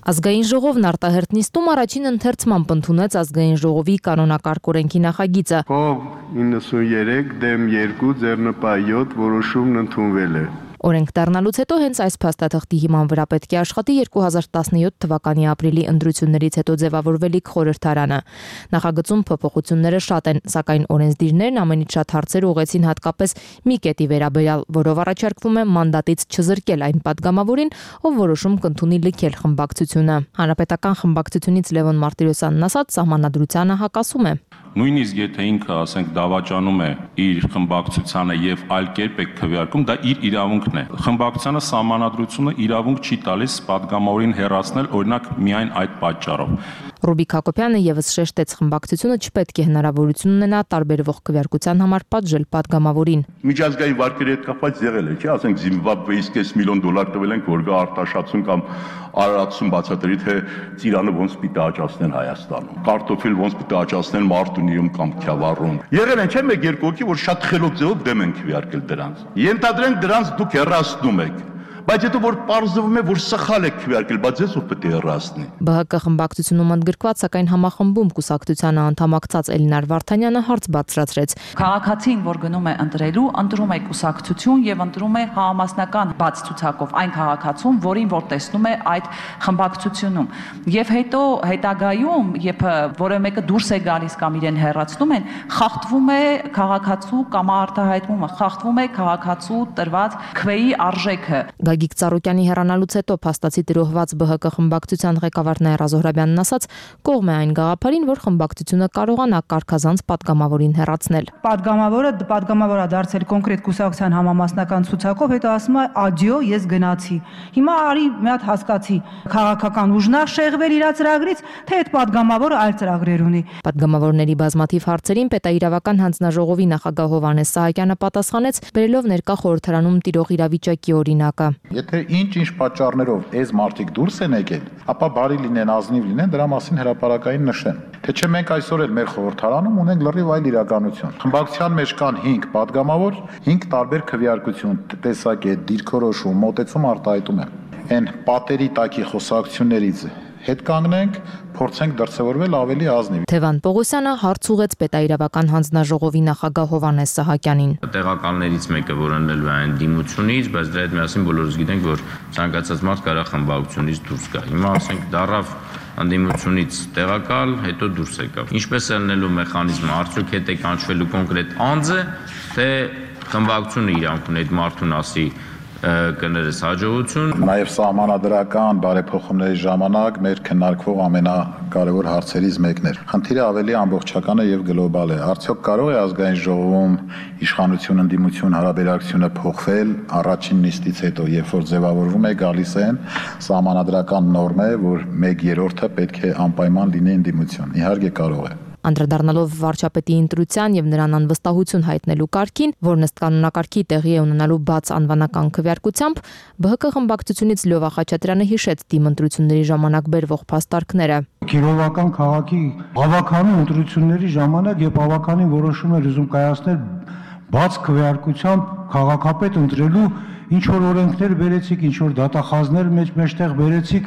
Ազգային ժողովն արտահերթ նիստում առաջին ընթերցմամբ ընդունեց ազգային ժողովի կանոնակարգ օրենքի նախագիծը։ Խով 93 դեմ 2 ձեռնպահ 7 որոշումն ընդունվել է։ Օրենք դառնալուց հետո հենց այս փաստաթղթի հիման վրա պետք է աշխատի 2017 թվականի ապրիլի ընտրություններից հետո ձևավորվելիք խորհրդարանը։ Նախագծում փոփոխությունները շատ են, սակայն օրենսդիրներն ամենից շատ հարցեր ուղղեցին հատկապես մի կետի վերաբերյալ, որով առաջարկվում է մանդատից չզրկել այն падգամավորին, ով որոշում կընդունի լքել խմբակցությունը։ Հանրապետական խմբակցությունից Լևոն Մարտիրոսյանն ասաց, սահմանադրությանը հակասում է։ Նույնիսկ եթե ինքը, ասենք, դավաճանում է իր խմբակցությանը եւ այլ կերպ է քվեարկում, դա իր իրավունքն է։ Խմբակցությանը սահմանադրությունը իրավունք չի տալիս падգամավորին հեռացնել, օրինակ, միայն այդ պատճառով։ Ռուբիկ Հակոբյանը եւս շեշտեց, խմբակցությունը չպետք է հնարավորություն ունենա տարբերվող քվեարկության համար պատժել падգամավորին։ Միջազգային վարկերի հետ կապված եղել է, չէ՞, ասենք Զիմբաբվեից $5 միլիոն տվել ենք, որ գա արտաշատում կամ Արարատում բացատրի, թե ծիրանը ոնց պիտի աճացնեն Հայաստանում։ Կարտոֆիլ ոնց պիտի աճացնեն Մարտունիում կամ Քյավառում։ Եղել են, չէ՞, մեկ-երկու հոգի, որ շատ խելոք ձևով դեմ են քվեարկել դրանց։ Ենթադրենք դրանց դուք հեռացնում եք։ Բայց հետո որ պարզվում է, որ սխալ է քվեարկել, բայց ես ով պետք է հեռացնի։ ԲՀԿ խմբակցությունում ընդգրկված, սակայն համախմբում կուսակցությանը անդամակցած Էլինար Վարդանյանը հարց բարձրացրեց։ Քաղաքացին, որ գնում է ընտրելու, ընտրում է կուսակցություն եւ ընտրում է համամասնական բաց ցուցակով այն քաղաքացուն, որին որ տեսնում է այդ խմբակցությունում։ Եվ հետո հետագայում, երբ որևէ մեկը դուրս է գալիս կամ իրեն հեռացնում են, խախտվում է քաղաքացու կամ արտահայտումը, խախտվում է քաղաքացու տրված քվեի արժեքը։ Գագիկ Ծառուկյանի հեռանալուց հետո փաստացի տրոհված ԲՀԿ խմբակցության ղեկավար Նաիրա Զոհրաբյանն ասաց, կողմ է այն գաղափարին, որ խմբակցությունը կարողանա կարգազանց падգամավորին հեռացնել։ Падգամավորը դարձել կոնկրետ կուսակցության համամասնական ցուցակով, հետո ասում է ադիո, ես գնացի։ Հիմա արի մի հատ հասկացի, քաղաքական ուժնա շեղվել իր ծրագրից, թե այդ падգամավորը այլ ծրագրեր ունի։ Падգամավորների բազմաթիվ հարցերին պետաիրավական հանձնաժողովի նախագահ Հովհաննես Սահակյանը պատասխանեց, բերելով ներկա խորհրդարանում տիրող իրավիճակի օրինակը։ Եթե ինչ պատճառներով այս մարդիկ դուրս են եկել, ապա բարի լինեն, ազնիվ լինեն, դրա մասին հրապարակային նշեն։ Թե չէ մենք այսօր էլ մեր խորհրդարանում ունենք լրիվ այլ իրականություն։ Խմբակցության մեջ կան 5 падգամավոր, 5 տարբեր քվեարկություն, տեսակետ, դիրքորոշում, մոտեցում արտահայտում են։ Այն պատերի տակի խոսակցություններից հետ կանգնենք, փորձենք դրսևորվել ավելի ազնիվ։ Թևան Պողոսյանը հարց ուղեց պետաիրավական հանձնաժողովի նախագահ Հովհաննես Սահակյանին։ Տեղակալներից մեկը, որ ընելու է այն դիմությունից, բայց դրա հետ միասին բոլորս գիտենք, որ ցանկացած մարդ կարող է խմբակցությունից դուրս գա։ Հիմա ասենք դարավ անդիմությունից տեղակալ, հետո դուրս եկավ։ Ինչպես է ելնելու մեխանիզմը, արդյոք հետ է կանչվելու կոնկրետ անձը, թե խմբակցությունը իրանք ունի այդ մարդուն ասի կներես հաջողություն։ Նաև սահմանադրական բարեփոխումների ժամանակ մեր քննարկվող ամենակարևոր հարցերից մեկն էր։ Խնդիրը ավելի ամբողջական է եւ գլոբալ է։ Արդյոք կարող է ազգային ժողովում իշխանություն ընդդիմություն հարաբերակցությունը փոխվել առաջին նիստից հետո, երբ որ ձևավորվում է գալիս են սահմանադրական նորմ է, որ 1/3-ը պետք է անպայման լինի ընդդիմություն։ Իհարկե կարող է։ Անդրադառնալով վարչապետի ընտրության եւ նրան անվստահություն հայտնելու կարգին, որն ըստ կանոնակարգի տեղի է ունենալու բաց անվանական քվեարկությամբ, ԲՀԿ խմբակցությունից Լյովա Խաչատրյանը հիշեց դիմ ընտրությունների ժամանակ բերվող փաստարկները։ Կիրովական քաղաքի բավականին ընտրությունների ժամանակ եւ բավականին որոշում էր ուզում կայացնել բաց քվեարկությամբ քաղաքապետ ընտրելու ինչ որ օրենքներ բերեցիք, ինչ որ դատախազներ մեջտեղ բերեցիք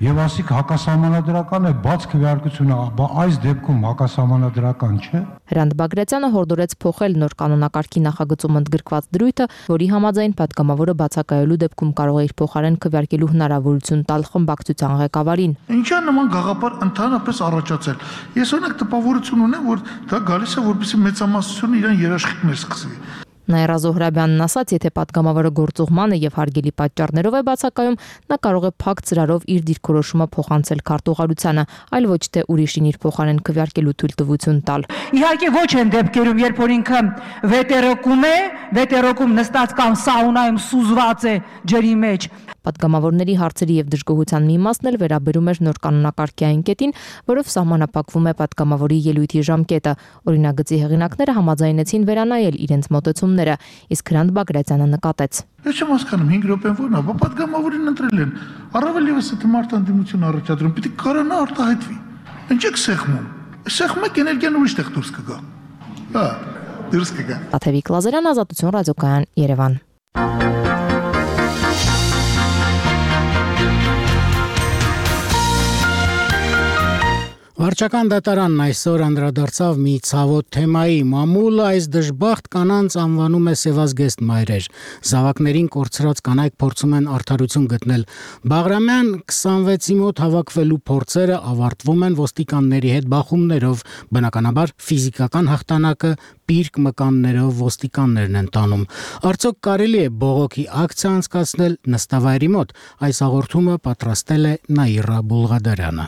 եւ ասիք հակասահմանադրական է բաց քվեարկությունը, այս դեպքում հակասահմանադրական չէ։ Հրանտ Բագրատյանը հորդորեց փոխել նոր կանոնակարգի նախագծում ընդգրկված դրույթը, որի համաձայն падգամավորը բացակայելու դեպքում կարող է իր փոխարեն քվեարկելու հնարավորություն տալ խմբակցության ղեկավարին։ Ինչա նման գաղափար ընդհանրապես առաջացել։ Ես օրինակ տպավորություն ունեմ, որ դա գալիս է որպեսզի մեծամասնությունը իրան երաշխիքներ սկսի։ Նաիրա Զոհրաբյանն ասաց, եթե падգամավորը գործուղման է եւ հարգելի պատճառներով է բացակայում, նա կարող է փակ ծրարով իր դիրքորոշումը փոխանցել քարտուղարությանը, այլ ոչ թե ուրիշին իր փոխարեն քվեարկելու թույլտվություն տալ։ Իհարկե ոչ են դեպքերում, երբ որ ինքը վետերոկում նստած կամ սաունայում սուզված է ջրի մեջ։ Падգամավորների հարցերի եւ դժգոհության մի մասն էլ վերաբերում էր նոր կանոնակարգի այն կետին, որով սահմանափակվում է падգամավորի ելույթի ժամկետը։ Օրինագծի հեղինակները համաձայնեցին վերանայել իրենց մոտեցումները, իսկ Հրանտ Բագրատյանը նկատեց։ Ես չեմ հասկանում 5 րոպեն որն է, падգամավորին ընտրել են։ Առավել եւս եթե մարդ անդիմություն առաջադրում, պիտի կարողանա արտահայտվի։ Ինչ եք սեղմում։ Սեղմում եք էներգիան ուրիշ տեղ դուրս կգա։ Հա, դուրս կգա։ Տաթևիկ Լազարյան, Ազատություն ռադիոկայան, Երևան։ Վարչական դատարանն այսօր անդրադարձավ մի ցավոտ թեմայի. մամուլը այս դժբախտ կանանց անվանում է սևազգեստ մայրեր։ Զավակներին կորցրած կանայք փորձում են արդարություն գտնել։ Բաղրամյան 26-ի մոտ հավաքվելու փորձերը ավարտվում են ոստիկանների հետ բախումներով, բնականաբար ֆիզիկական հաղթանակը պիրկ մկաններով ոստիկաններն են տանում։ Արդյոք կարելի է բողոքի ակցիա անցկացնել նստավայրի մոտ։ Այս հաղորդումը պատրաստել է Նաիրա Բուլղադարյանը։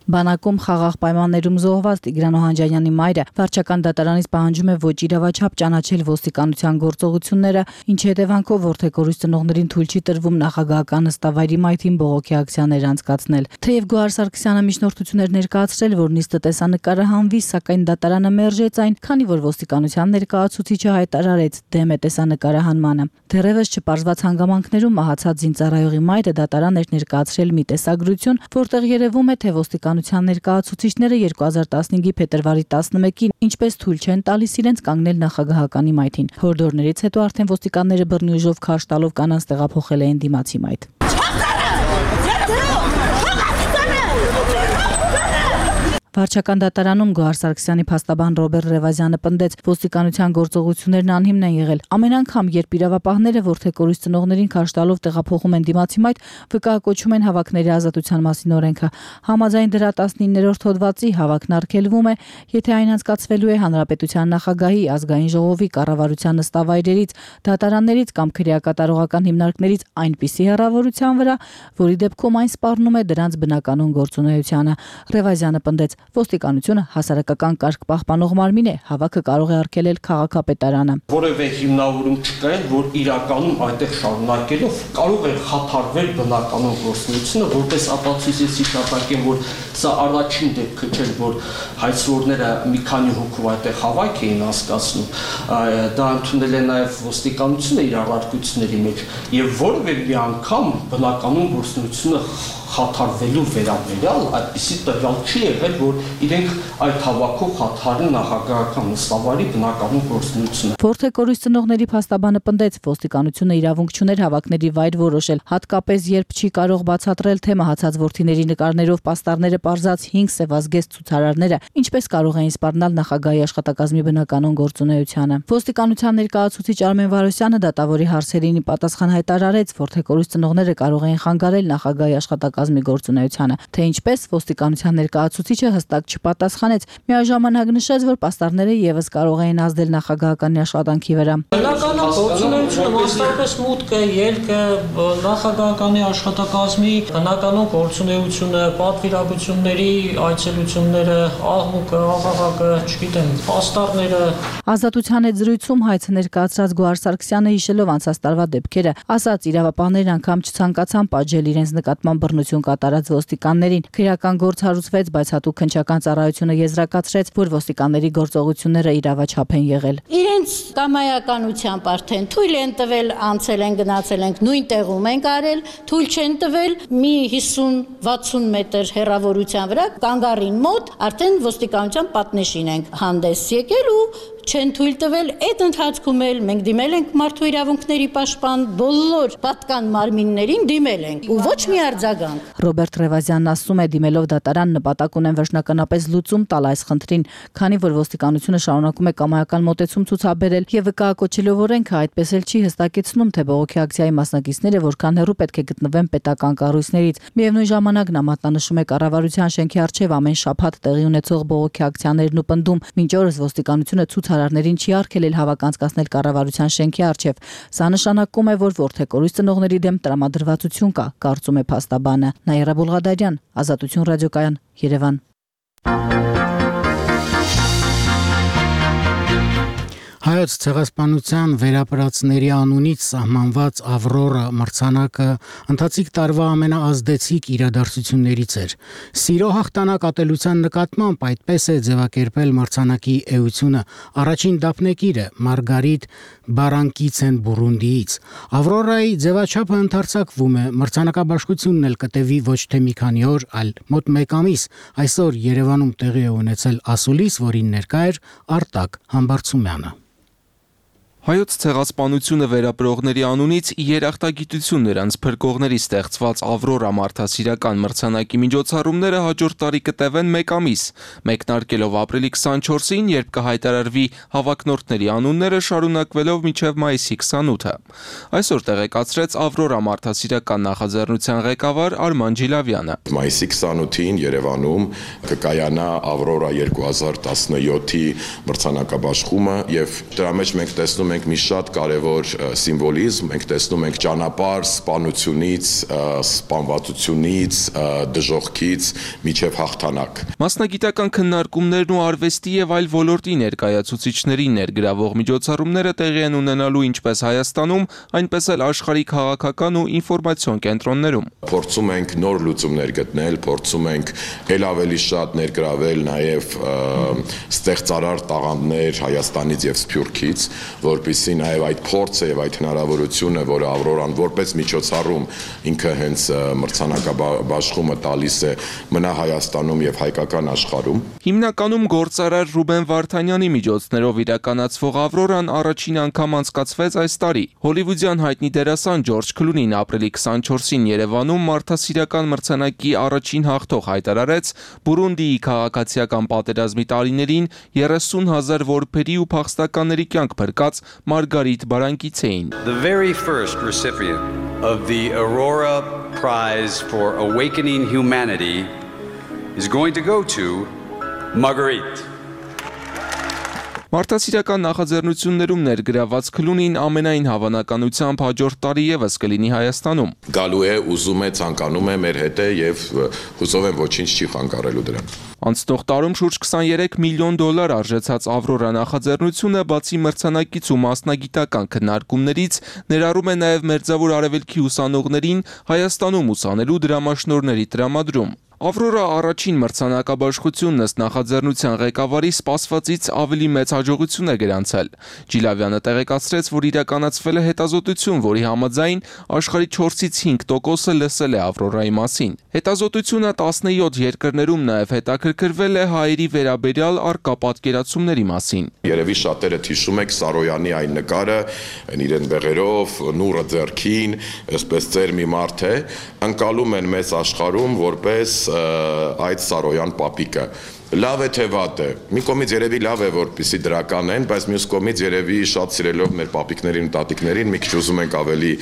Բանակում խաղաղ պայմաններում զոհված Տիգրան Օհանջանյանի մայրը վարչական դատարանից պահանջում է ոչ իրավաչափ ճանաչել ոստիկանության գործողությունները, ինչի հետևանքով որդեկորույս ծնողներին թույլ չի տրվում նախագահական նստավայրի մայթին բողոքի ակցիաներ անցկացնել։ Թեև Գոհար Սարգսյանը միջնորդություններ ներկայացրել, որ նիստը տեսանկարը հանվի, սակայն դատարանը մերժեց այն, քանի որ ոստիկանության ներկայացուցիչը հայտարարեց դեմ է տեսանկարահանմանը։ Դեռևս չպարզված հանգամանքներում մահացած զինծառայողի մայրը դատարան էր ներկայացրել մի տեսագրություն, որտեղ երևում է, թե ոստիկանության ներկայացուցիչները 2015-ի փետրվարի 11-ին ինչպես թույլ չեն տալիս իրենց կանգնել նախագահականի մայթին։ Հորդորներից հետո արդեն ոստիկանները բռնի ուժով քարշ տալով կանանց տեղափոխել էին դիմացի մայթ։ Վարչական դատարանում Գոհար Սարգսյանի փաստաբան Ռոբերտ Ռևազյանը պնդեց, ոստիկանության գործողություններն անհիմն են եղել։ Ամեն անգամ, երբ իրավապահները որդեկորույս ծնողներին քարշ տալով տեղափոխում են դիմացի մայթ, վկայակոչում են հավաքների ազատության մասին օրենքը։ Համաձայն դրա 19-րդ հոդվածի հավաքն արգելվում է, եթե այն անցկացվելու է հանրապետության նախագահի, ազգային ժողովի, կառավարության նստավայրերից, դատարաններից կամ քրեակատարողական հիմնարկներից այնպիսի հեռավորության վրա, որի դեպքում այն սպառնում է դրանց բնականon գործունեությանը։ Ռևազյանը պնդեց, ոստիկանությունը հասարակական կարգ պահպանող մարմին է, հավաքը կարող է արգելել քաղաքապետարանը։ Որևէ հիմնավորում չկա, որ իրականում այդտեղ շարունակելով կարող է խաթարվել բնականon գործունեությունը, որպես ապացույցեցի շարունակեմ, որ սա առաջին դեպքը չէ, որ հայցվորները մի քանի հոգով այդտեղ հավաք էին անցկացնում, դա ընդունել է նաև ոստիկանությունը իր առարկությունների մեջ, եւ որևէ մի անգամ բնականon գործունեությունը խաթարվելու վերաբերյալ այդպիսի տվյալ չի եղել, որ իրենք այդ հավաքով խաթարեն նախագահական նստավայրի բնականon գործունեությունը։ Որդեկորույս ծնողների փաստաբանը պնդեց, ոստիկանությունը իրավունք չուներ հավաքների վայր որոշել, հատկապես երբ չի կարող բացատրել, թե մահացած որդիների նկարներով պաստառները պարզած 5 սևազգեստ ցուցարարները ինչպես կարող էին սպառնալ նախագահի աշխատակազմի բնականon գործունեությանը։ Ոստիկանության ներկայացուցիչ Արմեն Վարոսյանը դատավորի հարցերին պատասխան հայտարարեց, որդեկորույս ծնողները կարող էին խանգարել նախագահի աշխատակազմի գործունեությանը, թե ինչպես ոստիկանության ներկայացուցիչը հստակ չպատասխանեց, միաժամանակ նշեց, որ պաստառները եւս կարող էին ազդել նախագահականի աշխատանքի վրա։ Բնականon գործունեությունը մասնավորապես մուտքը, ելքը, նախագահականի աշխատակազմի բնականon գործունեությունը, պատվիրակությունների այցելությունները, աղմուկը, աղաղակը, չգիտեմ, պաստառները։ Ազատության հետ զրույցում հայցը ներկայացրած Գոհար Սարգսյանը հիշելով անցած տարվա դեպքերը, ասաց իրավապահներն անգամ չցանկացան պատժել իրենց նկատմամբ բռնություն կատարած ոստիկաններին։ Քրեական գործ հարուցվեց, բայց հատուկ քննչական ծառայությունը եզրակացրեց, որ ոստիկանների գործողությունները իրավաչափ են եղել։ Իրենց կամայականությամբ արդեն թույլ են տվել, անցել են, գնացել ենք, նույն տեղում ենք արել, թույլ չեն տվել մի 50-60 մետր հեռավորության վրա կանգառին մոտ արդեն ոստիկանության պատնեշին ենք հանդես եկել ու չեն թույլ տվել, այդ ընթացքում էլ մենք դիմել ենք մարդու իրավունքների պաշտպան բոլոր պատկան մարմիններին դիմել ենք ու ոչ մի արձագանք։ Ռոբերտ Ռևազյանն ասում է, դիմելով դատարան նպատակ ունեն վերջնականապես լուծում տալ այս խնդրին, քանի որ ոստիկանությունը շարունակում է կամայական մոտեցում ցուցաբերել եւ վկայակոչելով օրենքը այդպես էլ չի հստակեցնում, թե բողոքի ակցիայի մասնակիցները որքան հեռու պետք է գտնվեն պետական կառույցներից։ Միևնույն ժամանակ նա մատնանշում է կառավարության շենքի առջև ամեն շաբաթ տեղի ունեցող բողոքի ակցիաներն ու պնդում, մինչ օրս ոստիկանությունը ցուցարարներին չի արգելել հավաք անցկացնել կառավարության շենքի առջև։ Սա նշանակում է, որ որդեկորույս ծնողների դեմ տրամադրվածություն կա, կարծում է փաստաբանը։ Նաիրա Բուլղադարյան, Ազատություն ռադիոկայան, Երևան։ Հայոց ցեղասպանության վերապրածների անունից սահմանված Ավրորա մրցանակը ընթացիկ տարվա ամենաազդեցիկ իրադարձություններից էր։ Սիրո հաղթանակ ատելության նկատմամբ այդպես է ձևակերպել մրցանակի էությունը առաջին դափնեկիրը Մարգարիտ Բարանկիցեն Բուրունդիից։ Ավրորայի ձևաչափը ընդարձակվում է, մրցանակաբաշխությունն էլ կտևի ոչ թե մի քանի օր, այլ մոտ 1 ամիս։ Այսօր Երևանում տեղի է ունեցել ասուլիս, որին ներկա էր Արտակ Համբարձումյանը։ Հայոց ցեղասպանությունը վերապրողների անունից երախտագիտություն նրանց փրկողների ստեղծված Ավրորա մարդասիրական մրցանակի միջոցառումները հաջորդ տարի կտևեն 1 ամիս, մեկնարկելով ապրիլի 24-ին, երբ կհայտարարվի հավակնորդների անունները, շարունակվելով մինչև մայիսի 28-ը։ Այսօր տեղեկացրեց Ավրորա մարդասիրական նախաձեռնության ղեկավար Արման Ջիլավյանը։ Մայիսի 28-ին Երևանում կկայանա Ավրորա 2017-ի մրցանակաբաշխումը եւ դրա մեջ մենք տեսնում ենք մի շատ կարևոր սիմվոլիզմ, մենք տեսնում ենք ճանապարհ սպանությունից, սպանվածությունից, դժոխքից միջև հաղթանակ։ Մասնագիտական քննարկումներն ու արվեստի եւ այլ ոլորտի ներկայացուցիչների ներգրավող միջոցառումները տեղի են ունենալու ինչպես Հայաստանում, այնպես էլ աշխարհի քաղաքական ու ինֆորմացիոն կենտրոններում։ Փորձում ենք նոր լուծումներ գտնել, փորձում ենք ել ավելի շատ ներգրավել նաեւ ստեղծարար տաղանդներ Հայաստանից եւ Սփյուռքից, որպեսզի նաև այդ փորձը եւ այդ հնարավորությունը, որը Ավրորան որպես միջոցառում ինքը հենց մրցանակաբաշխումը տալիս է, մնա Հայաստանում եւ հայկական աշխարհում։ Հիմնականում գործարար Ռուբեն Վարդանյանի միջոցներով իրականացվող Ավրորան առաջին անգամ անցկացվեց այս տարի։ Հոլիվուդյան հայտնի դերասան Ջորջ Քլունին ապրիլի 24-ին Երևանում մարդասիրական մրցանակի առաջին հաղթող հայտարարեց Բուրունդիի քաղաքացիական պատերազմի տարիներին 30,000 որբերի ու փախստականների կյանք փրկած Margarit Barankitsein. The very first recipient of the Aurora Prize for Awakening Humanity is going to go to Marguerite. Մարդասիրական նախաձեռնություններում ներգրաված Քլունին ամենայն հավանականությամբ հաջորդ տարի եւս կլինի Հայաստանում։ Գալու է, ուզում է, ցանկանում է մեր հետ է եւ հուսով եմ ոչինչ չի խանգարելու դրան։ Անցնող տարում շուրջ 23 միլիոն դոլար արժեցած Ավրորա նախաձեռնությունը բացի մրցանակից ու մասնագիտական քննարկումներից ներառում է նաև Մերձավոր Արևելքի ուսանողներին Հայաստանում ուսանելու դրամաշնորհների տրամադրում։ Ավրորա առաջին մրցանակաբաշխությունն ըստ նախաձեռնության ղեկավարի սպասվածից ավելի մեծ հաջողություն է գրանցել։ Ջիլավյանը տեղեկացրեց, որ իրականացվել է հետազոտություն, որի համաձայն աշխարհի 4-ից 5%-ը լսել է Ավրորայի մասին։ Հետազոտությունը 17 երկրներում նաև հետաքրքրվել է հայերի վերաբերյալ առկա պատկերացումների մասին։ Երևի շատերը հիշում եք Սարոյանի այն նկարը, իրեն բեղերով, նուրը ձեռքին, այսպես ծեր մի մարդ է, ընկալում են մեծ աշխարհում որպես այդ Սարոյան պապիկը։ Լավ է թե վատ է։ Մի կողմից երևի լավ է, որպեսզի դրական են, բայց մյուս կողմից երևի շատ սիրելով մեր պապիկներին ու տատիկներին մի քիչ ուզում ենք ավելի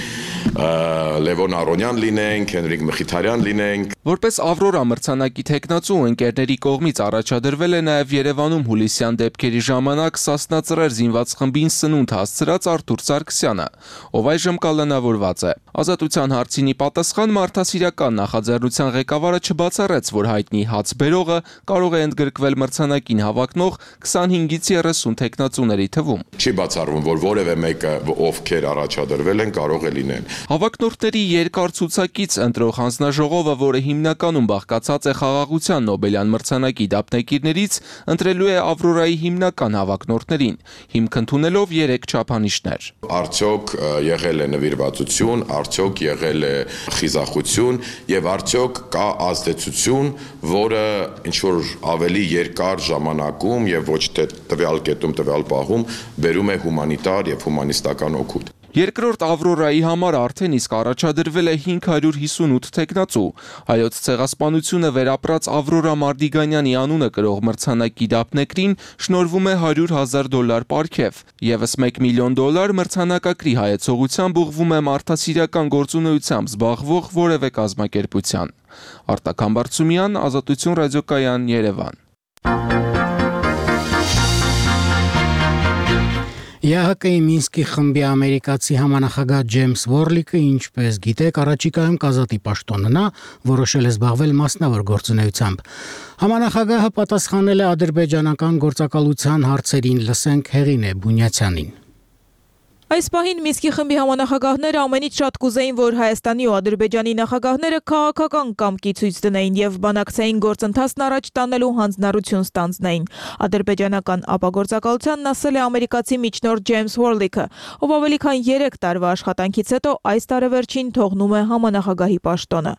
Լևոն Արոնյան լինենք, Հենրիկ Մխիթարյան լինենք։ Որպես Ավրորա մրցանակի թեկնածու ընկերների կողմից առաջադրվել է նաև Երևանում հուլիսյան դեպքերի ժամանակ Սասնա-Ծռեր զինված խմբին սնունդ հասցրած Արթուր Սարգսյանը, ով այժմ կալանավորված է։ Ազատության հարցինի պատասխան մարդասիրական նախաձեռնության ղեկավարը չբացառեց, որ հայտնի հացբերողը կարող է ընդգրկվել մրցանակին հավակնող 25-ից 30 թեկնածուների թվում։ Չի բացառվում, որ որևէ մեկը, ովքեր առաջադրվել են, կարող է լինել։ Հավակնորդների երկար ցուցակից ընտրող հանձնաժողովը, որը հիմնականում բաղկացած է խաղաղության Նոբելյան մրցանակի դափնեկիրներից, ընտրելու է Ավրորայի հիմնական հավակնորդներին, հիմք ընդունելով 3 չափանիշներ։ Արդյոք եղել է նվիրվածություն, արդյոք եղել է խիզախություն եւ արդյոք կա ազդեցություն, որը ինչ որ ավելի երկար ժամանակում եւ ոչ թե տվյալ կետում, տվյալ պահում բերում է հումանիտար եւ հումանիստական օգուտ։ Երկրորդ Ավրորայի համար արդեն իսկ առաջադրվել է 558 թեկնածու։ Հայոց ցեղասպանությունը վերապրած Ավրորա Մարդիգանյանի անունը կրող մրցանակի դափնեկրին շնորհվում է $100,000 պարգև։ Եվս $1 միլիոն մրցանակակրի հայեցողությամբ ուղղվում է մարդասիրական գործունեությամբ զբաղվող որևէ կազմակերպության։ Արտակ Համբարձումյան, Ազատություն ռադիոկայան, Երևան։ ԵԱՀԿ-ի Մինսկի խմբի ամերիկացի համանախագահ Ջեյմս Վորլիկը, ինչպես գիտեք, առաջիկայում կազատի պաշտոննա, որոշել է զբաղվել մասնավոր գործունեությամբ։ Համանախագահը պատասխանել է ադրբեջանական գործակալության հարցերին, լսենք Հեղինե Բունյացյանին։ Այս պահին Մինսկի խմբի համանախագահները ամենից շատ կուզեին, որ Հայաստանի ու Ադրբեջանի նախագահները քաղաքական կամքի ցույց դնեին եւ բանակցային գործընթացն առաջ տանելու հանձնառություն ստանձնեին։ Ադրբեջանական ապագործակալությանն ասել է ամերիկացի միջնորդ Ջեյմս Հորլիքը, ով ավելի քան 3 տարվա աշխատանքից հետո այս տարեվերջին թողնում է համանախագահի պաշտոնը։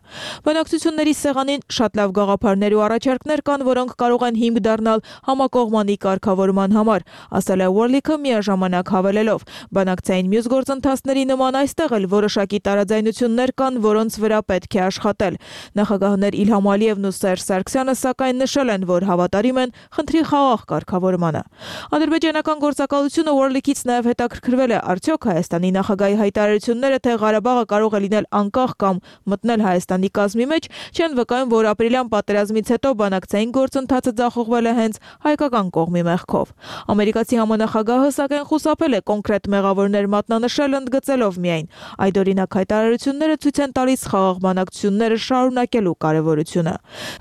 Բանակցությունների սեղանին շատ լավ գաղափարներ ու առաջարկներ կան, որոնք կարող են հիմք դառնալ համակողմանի կարգավորման համար, ասել է Հորլիքը միաժամանակ հավելելով. Բանակցային մյուս գործընթացների նման այստեղ էլ որոշակի տարաձայնություններ կան, որոնց վրա պետք է աշխատել։ Նախագահներ Իլհամ Ալիևն ու Սերժ Սարգսյանը սակայն նշել են, որ հավատարիմ են խնդրի խաղաղ կարգավորմանը։ Ադրբեջանական գործակալությունը Օրլիկից նաև հետաքրքրվել է, արդյոք Հայաստանի նախագահի հայտարարությունները, թե Ղարաբաղը կարող է լինել անկախ կամ մտնել Հայաստանի կազմի մեջ, չեն վկայում, որ ապրիլյան պատերազմից հետո բանակցային գործընթացը ձախողվել է հենց հայկական կողմի մեղքով։ Ամերիկացի համանախագահը սակայն խուսափել է կոնկրետ մեղավորներ մատնանշել, ընդգծելով միայն այդ օրինակ հայտարարությունները ցույց են տալիս խաղաղ բանակցությունները շարունակելու կարևորությունը։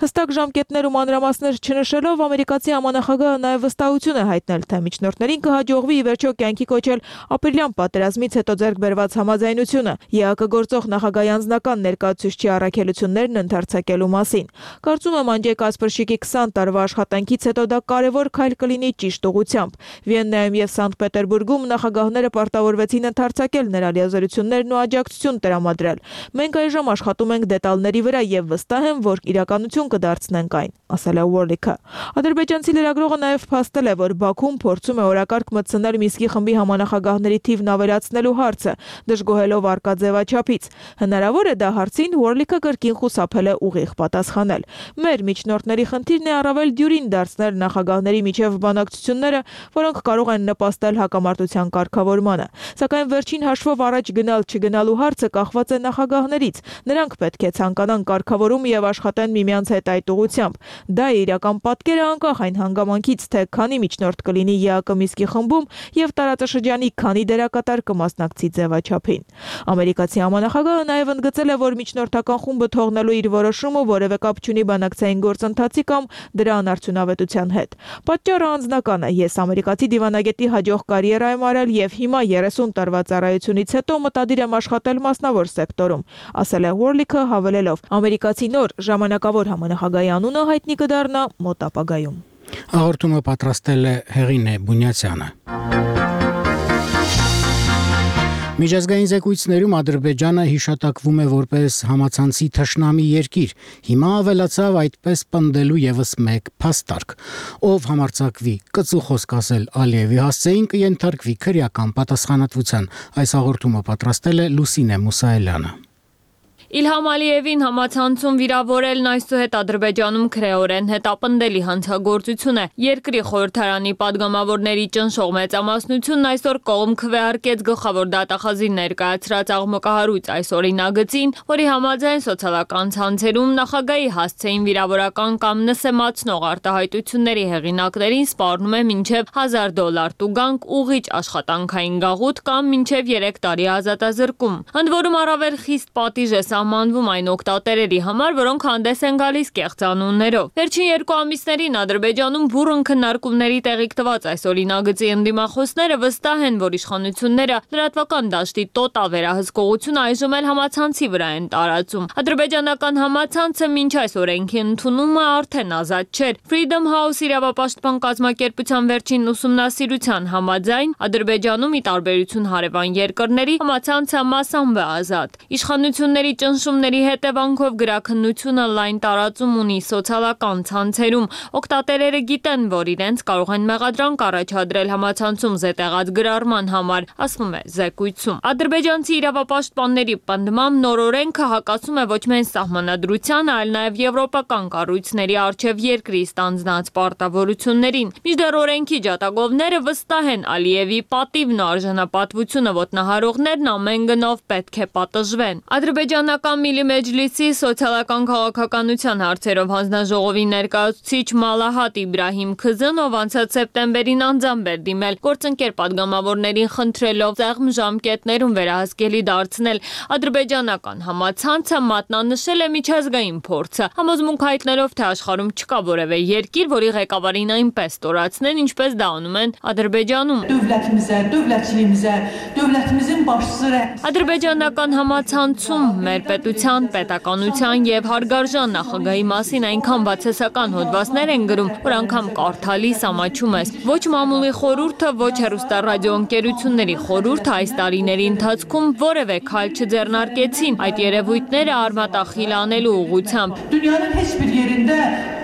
Հստակ ժամկետներ ու մանրամասներ չնշելով, ամերիկացի համանախագահը նաև վստահություն է հայտնել, թե միջնորդներին կհաջողվի ի վերջո կյանքի կոչել ապրիլյան պատերազմից հետո ձեռք բերված համաձայնությունը ԵԱԿ գործող նախագահի անձնական ներկայացուցչի առաքելություններն ընդարձակելու մասին։ Կարծում եմ Անջեյ Կասպրշիկի 20 տարվա աշխատանքից հետո դա կարևոր քայլ կլինի ճիշտ ուղղությամբ։ Վիեննայում եւ Սանկտ Պետերբուրգում նախագահները պարտավորվեցին ընդարձակել նրա լիազորություններն ու աջակցություն տրամադրել։ Մենք այժմ աշխատում ենք դետալների վրա եւ վստահ եմ, որ իրականություն կդարձնենք այն, ասել է Ուորլիքը։ Ադրբեջանցի լրագրողը նաև փաստել է, որ Բաքուն փորձում է օրակարգ մտցնել Մինսկի խմբի համանախագահների թիվն ավելացնելու հարցը, դժգոհելով արկա ձևաչափից։ Հնարավոր է դա հարցին Ուորլիքը կրկին խուսափել է ուղիղ պատասխանել։ Մեր միջնորդների խնդիրն է առավել դյուրին դարձնել նախագահների միջև բանակցությունները, որոնք կարող են նպաստել հակամարտության կարգավորմանը։ Սակայն վերջին հաշվով առաջ գնալ-չգնալու հարցը կախված է նախագահներից։ Նրանք պետք է ցանկանան կարգավորում եւ աշխատեն միմյանց հետ այդ ուղղությամբ։ Դա է իրական պատկերը անկախ այն հանգամանքից, թե քանի միջնորդ կլինի ԵԱԿ Մինսկի խմբում եւ տարածաշրջանի քանի դերակատար կմասնակցի ձևաչափին։ Ամերիկացի համանախագահը նաև ընդգծել է, որ միջնորդական խումբը թողնելու իր որոշումը որևէ կապ չունի բանակցային գործընթացի կամ դրա անարդյունավետության հետ։ Պատճառը անձնական է։ Ես ամերիկացի դիվանագետի հաջող կարիերա եմ արել եւ հիմա 30 տարվա ծառայությունից հետո մտադիր եմ աշխատել մասնավոր սեկտորում, ասել է Ուորլիքը, հավելելով. ամերիկացի նոր ժամանակավոր համանախագահի անունը հայտնի կդառնա մոտ ապագայում։ Հաղորդումը պատրաստել է Հեղինե Բունյացյանը։ Միջազգային զեկույցներում Ադրբեջանը հիշատակվում է որպես համացանցի թշնամի երկիր։ Հիմա ավելացավ այդպես պնդելու եւս մեկ փաստարկ։ Ով համարձակվի կծու խոսք ասել Ալիևի հասցեին կենթարկվի քրեական պատասխանատվության։ Այս հաղորդումը պատրաստել է Լուսինե Մուսայելյանը։ Իլհամ Ալիևին համացանցում վիրավորելն այսուհետ Ադրբեջանում քրեորեն հետապնդելի հանցագործություն է։ Երկրի խորհրդարանի падգամավորների ճնշող մեծամասնությունն այսօր կողմ քվեարկեց գլխավոր դատախազի ներկայացրած աղմկահարույց այս օրինագծին, որի համաձայն սոցիալական ցանցերում նախագահի հասցեին վիրավորական կամ նսեմացնող արտահայտությունների հեղինակներին սպառնում է մինչև $1000 տուգանք, ուղիչ աշխատանքային գաղութ կամ մինչև 3 տարի ազատազրկում։ Ընդ որում առավել խիստ պատիժ է սահմանվում այն օգտատերերի համար, որոնք հանդես են գալիս կեղծանուններով։ Վերջին 2 ամիսներին Ադրբեջանում բուռն քննարկումների տեղիք տված այս օրինագծի ընդդիմախոսները վստահ են, որ իշխանությունները լրատվական դաշտի տոտալ վերահսկողությունը այժմ էլ համացանցի վրա են տարածում։ Ադրբեջանական համացանցը մինչ այս օրենքի ընդունումը արդեն ազատ չէր։ Freedom House իրավապաշտպան կազմակերպության վերջին ուսումնասիրության համաձայն Ադրբեջանում ի տարբերություն հարևան երկրների համացանցը մասամբ է ազատ։ Իշխանությունների ճնշումների հետևանքով գրաքննությունը լայն տարածում ունի սոցիալական ցանցերում։ Օգտատերերը գիտեն, որ իրենց կարող են մեղադրանք առաջադրել համացանցում զետեղած գրառման համար, ասվում է զեկույցում։ Ադրբեջանցի իրավապաշտպանների պնդմամբ նոր օրենքը հակասում է ոչ միայն սահմանադրությանը, այլ նաև եվրոպական կառույցների առջև երկրի ստանձնած պարտավորություններին։ Մինչդեռ օրենքի ջատագովները վստահ են Ալիևի պատիվն ու արժանապատվությունը ոտնահարողներն ամեն գնով պետք է պատժվեն։ Ադրբեջանական Իսլամական Միլի Մեջլիսի սոցիալական քաղաքականության հարցերով հանձնաժողովի ներկայացուցիչ Մալահատ Իբրահիմ Քզն, ով անցած սեպտեմբերին անձամբ էր դիմել գործընկեր падգամավորներին խնդրելով ծաղմ ժամկետներում վերահսկելի դարձնել ադրբեջանական համացանցը, մատնանշել է միջազգային փորձը, համոզմունք հայտնելով, թե աշխարհում չկա որևէ երկիր, որի ղեկավարին այնպես ստորացնեն, ինչպես դա անում են Ադրբեջանում։ Ադրբեջանական համացանցում մեր պետության, պետականության եւ հարգարժան նախագահի մասին այնքան բացասական հոդվածներ են գրում, որ անգամ կարդալիս ամաչում ես։ Ոչ մամուլի խորհուրդը, ոչ հեռուստառադիոընկերությունների խորհուրդը այս տարիների ընթացքում որևէ քայլ չձեռնարկեցին այդ երևույթները արմատախիլ անելու ուղղությամբ։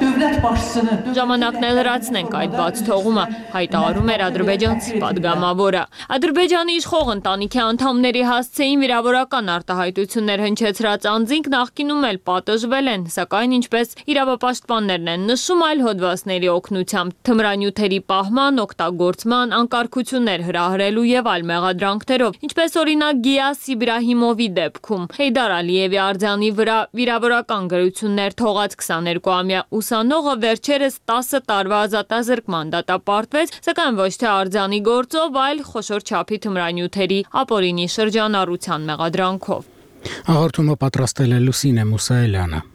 Ժամանակն է լրացնենք այդ բաց թողումը, հայտարարում էր ադրբեջանցի падգամավորը։ Ադրբեջանի իշխող ընտանիքի անդամների հասցեին վիրավորական արտահայտություններ հնչեցրած անձինք նախկինում էլ պատժվել են, սակայն ինչպես իրավապաշտպաններն են նշում, այլ հոդվածների օգնությամբ թմրանյութերի պահման, օգտագործման, անկարգություններ հրահրելու եւ այլ մեղադրանքներով, ինչպես օրինակ Գիաս Իբրահիմովի դեպքում։ Հեյդար Ալիևի արձանի վրա վիրավորական գրություններ թողած 22-ամյա ուսանողը վերջերս 10 տարվա ազատազրկման դատապարտվեց, սակայն ոչ թե արձանի գործով, այլ խոշոր չափի թմրանյութերի ապօրինի շրջանառության մեղադրանքով։ Հաղորդումը պատրաստել է Լուսինե Մուսայելյանը։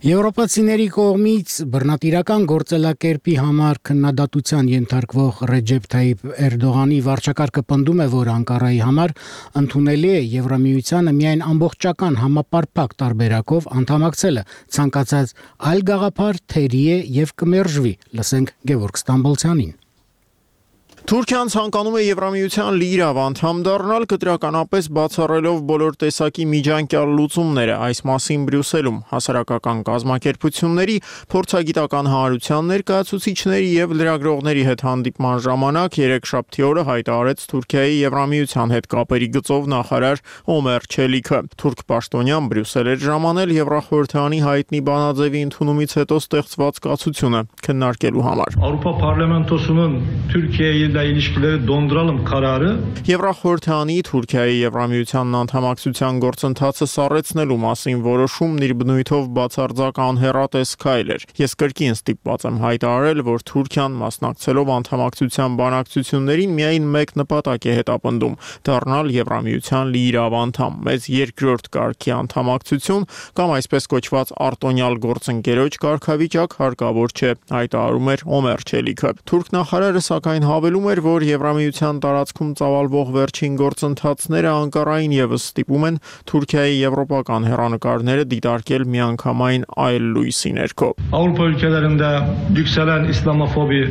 Եվրոպացիների կողմից բռնատիրական գործելակերպի համար քննադատության ենթարկվող Ռեջեփ Թայիփ Էրդողանի վարչակարգը պնդում է, որ Անկարայի համար ընդունելի է Եվրամիությանը միայն ամբողջական համապարփակ տարբերակով անդամակցելը, ցանկացած այլ գաղափար թերի է եւ կմերժվի։ Լսենք Գևորգ Ստամբոլցյանին։ Թուրքիան ցանկանում է Եվրամիության լիիրավ անդամ դառնալ, կտրականապես բացառելով բոլոր տեսակի միջանկյալ լուծումները, այս մասին Բրյուսելում հասարակական կազմակերպությունների, փորձագիտական հանրության ներկայացուցիչների եւ լրագրողների հետ հանդիպման ժամանակ երեքշաբթի օրը հայտարարեց Թուրքիայի Եվրամիության հետ կապերի գծով նախարար Օմեր Չելիքը։ Թուրք պաշտոնյան Բրյուսել էր ժամանել Եվրախորհրդանի հայտնի բանաձևի ընդունումից հետո ստեղծված կացությունը քննարկելու համար։ Avrupa Parlamentosu'nun Türkiye'ye ilişkileri donduralım kararı Եվրախորհրդանի Թուրքիայի Եվրամիությանն անդամակցության գործընթացը սառեցնելու մասին որոշումն իր բնույթով բացարձակ անհեռատես քայլ էր։ Ես կրկին ստիպված եմ հայտարարել, որ Թուրքիան մասնակցելով անդամակցության բանակցություններին միայն մեկ նպատակ է հետապնդում՝ դառնալ Եվրամիության լիիրավ անդամ։ Մեծ երկրորդ կարգի անդամակցություն կամ այսպես կոչված արտոնյալ գործընկերոջ կարգավիճակ հարկավոր չէ, հայտարարում էր Օմեր Չելիքը։ Թուրք նախարարը սակայն հավելում էր, որ Եվրամիության տարածքում ծավալվող վերջին գործընթացները Անկարային եւս ստիպում են Թուրքիայի եվրոպական հեռանկարները դիտարկել միանգամայն այլ լույսի ներքո։ Avrupa ülkelerinde yükselen İslamofobi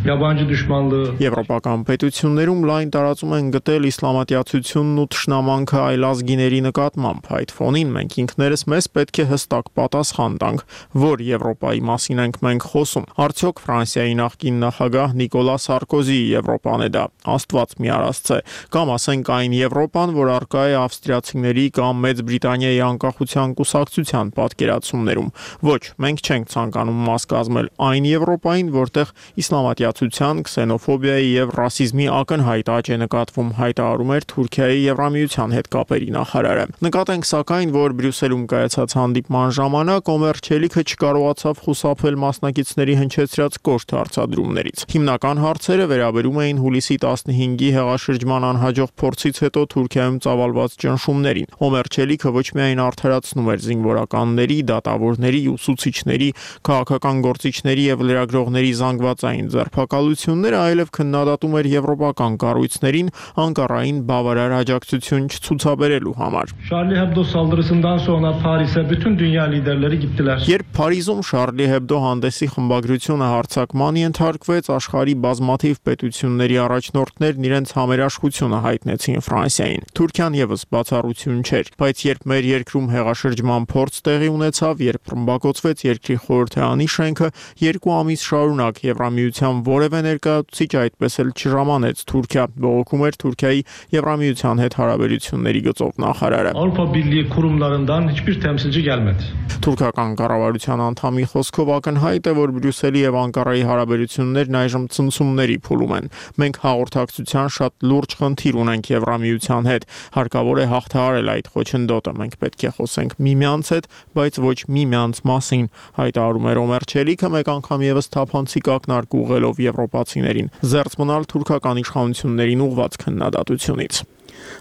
Yabancı düşmanlığı Եվրոպական պետություններում լայն տարածում են գտել իսլամատյացությունն ու թշնամանքը այլազգիների նկատմամբ։ Այդ ֆոնին մենք ինքներս մեզ պետք է հստակ պատասխան տանք, որ Եվրոպայի մասին ենք մենք խոսում։ Արդյոք Ֆրանսիայի նախկին նախագահ Նիկոլա Սարկոզիի Եվրոպան է դա, Աստված մի արածցե, կամ ասենք այն Եվրոպան, որ առկա է ավստրիացիների կամ Մեծ Բրիտանիայի անկախության կուսակցության պատկերացումներում։ Ոչ, մենք չենք ցանկանում մաս կազմել այն Եվրոպային, որտեղ իսլամատյացության, քսենոֆոբիայի եւ ռասիզմի ակնհայտ աճ է նկատվում, հայտարարում էր Թուրքիայի Եվրամիության հետ կապերի նախարարը։ Նկատենք սակայն, որ Բրյուսելում կայացած հանդիպման ժամանակ Օմեր Չելիքը չկարողացավ խուսափել մասնակիցների հնչեցրած կոշտ հարցադրումներից։ Հիմնական հարցերը վերաբերում էին հուլիսի 15-ի հեղաշրջման անհաջող փորձից հետո Թուրքիայում ծավալված ճնշումներին։ Օմեր Չելիքը ոչ միայն արդարացնում էր զինվորականների, դատավորների, ուսուցիչների, քաղաքական գործիչների եւ լրագրողների զանգվածային ձերբակալությունները, այլև քննադատում էր եվրոպական կառույցներին Անկարային բավարար աջակցություն չցուցաբերելու համար։ Charlie Hebdo saldırısından sonra Paris'e bütün dünya liderleri gittiler. Երբ Փարիզում Charlie Hebdo հանդեսի խմբագրությունը հարձակման ենթարկվեց, աշխարհի բազմաթիվ պետությունների առաջնորդներն իրենց համերաշխությունը հայտնեցին Ֆրանսիային։ Թուրքիան եւս բացառություն չէր, բայց երբ մեր երկրում հեղաշրջման փորձ տեղի ունեցավ, երբ ռմբակոծվեց երկրի խորհրդարանի շենքը, 2 ամիս շարունակ Եվրամիության որևէ ներկայացուցիչ այդպես էլ չժամանեց Թուրքիա, բողոքում էր Թուրքիայի Եվրամիության հետ հարաբերությունների գծով նախարարը։ Avrupa Birliği kurumlarından hiçbir temsilci gelmedi. Թուրքական կառավարության անդամի խոսքով ակնհայտ է, որ Բրյուսելի եւ Անկարայի հարաբերություններն այժմ ցնցումների փուլում են։ Մենք հաղորդակցության շատ լուրջ խնդիր ունենք Եվրամիության հետ։ Հարկավոր է հաղթահարել այդ խոչընդոտը։ Մենք պետք է խոսենք միմյանց հետ, բայց ոչ միմյանց մասին, հայտարարում է Ռոմեր Չելիքը մեկ անգամ եւս թափանցիկ ակնարկ ուղղելով եվրոպացիներին։ Զերծ մնալ թուրքական իշխանություններին ուղղված քննադատությունից։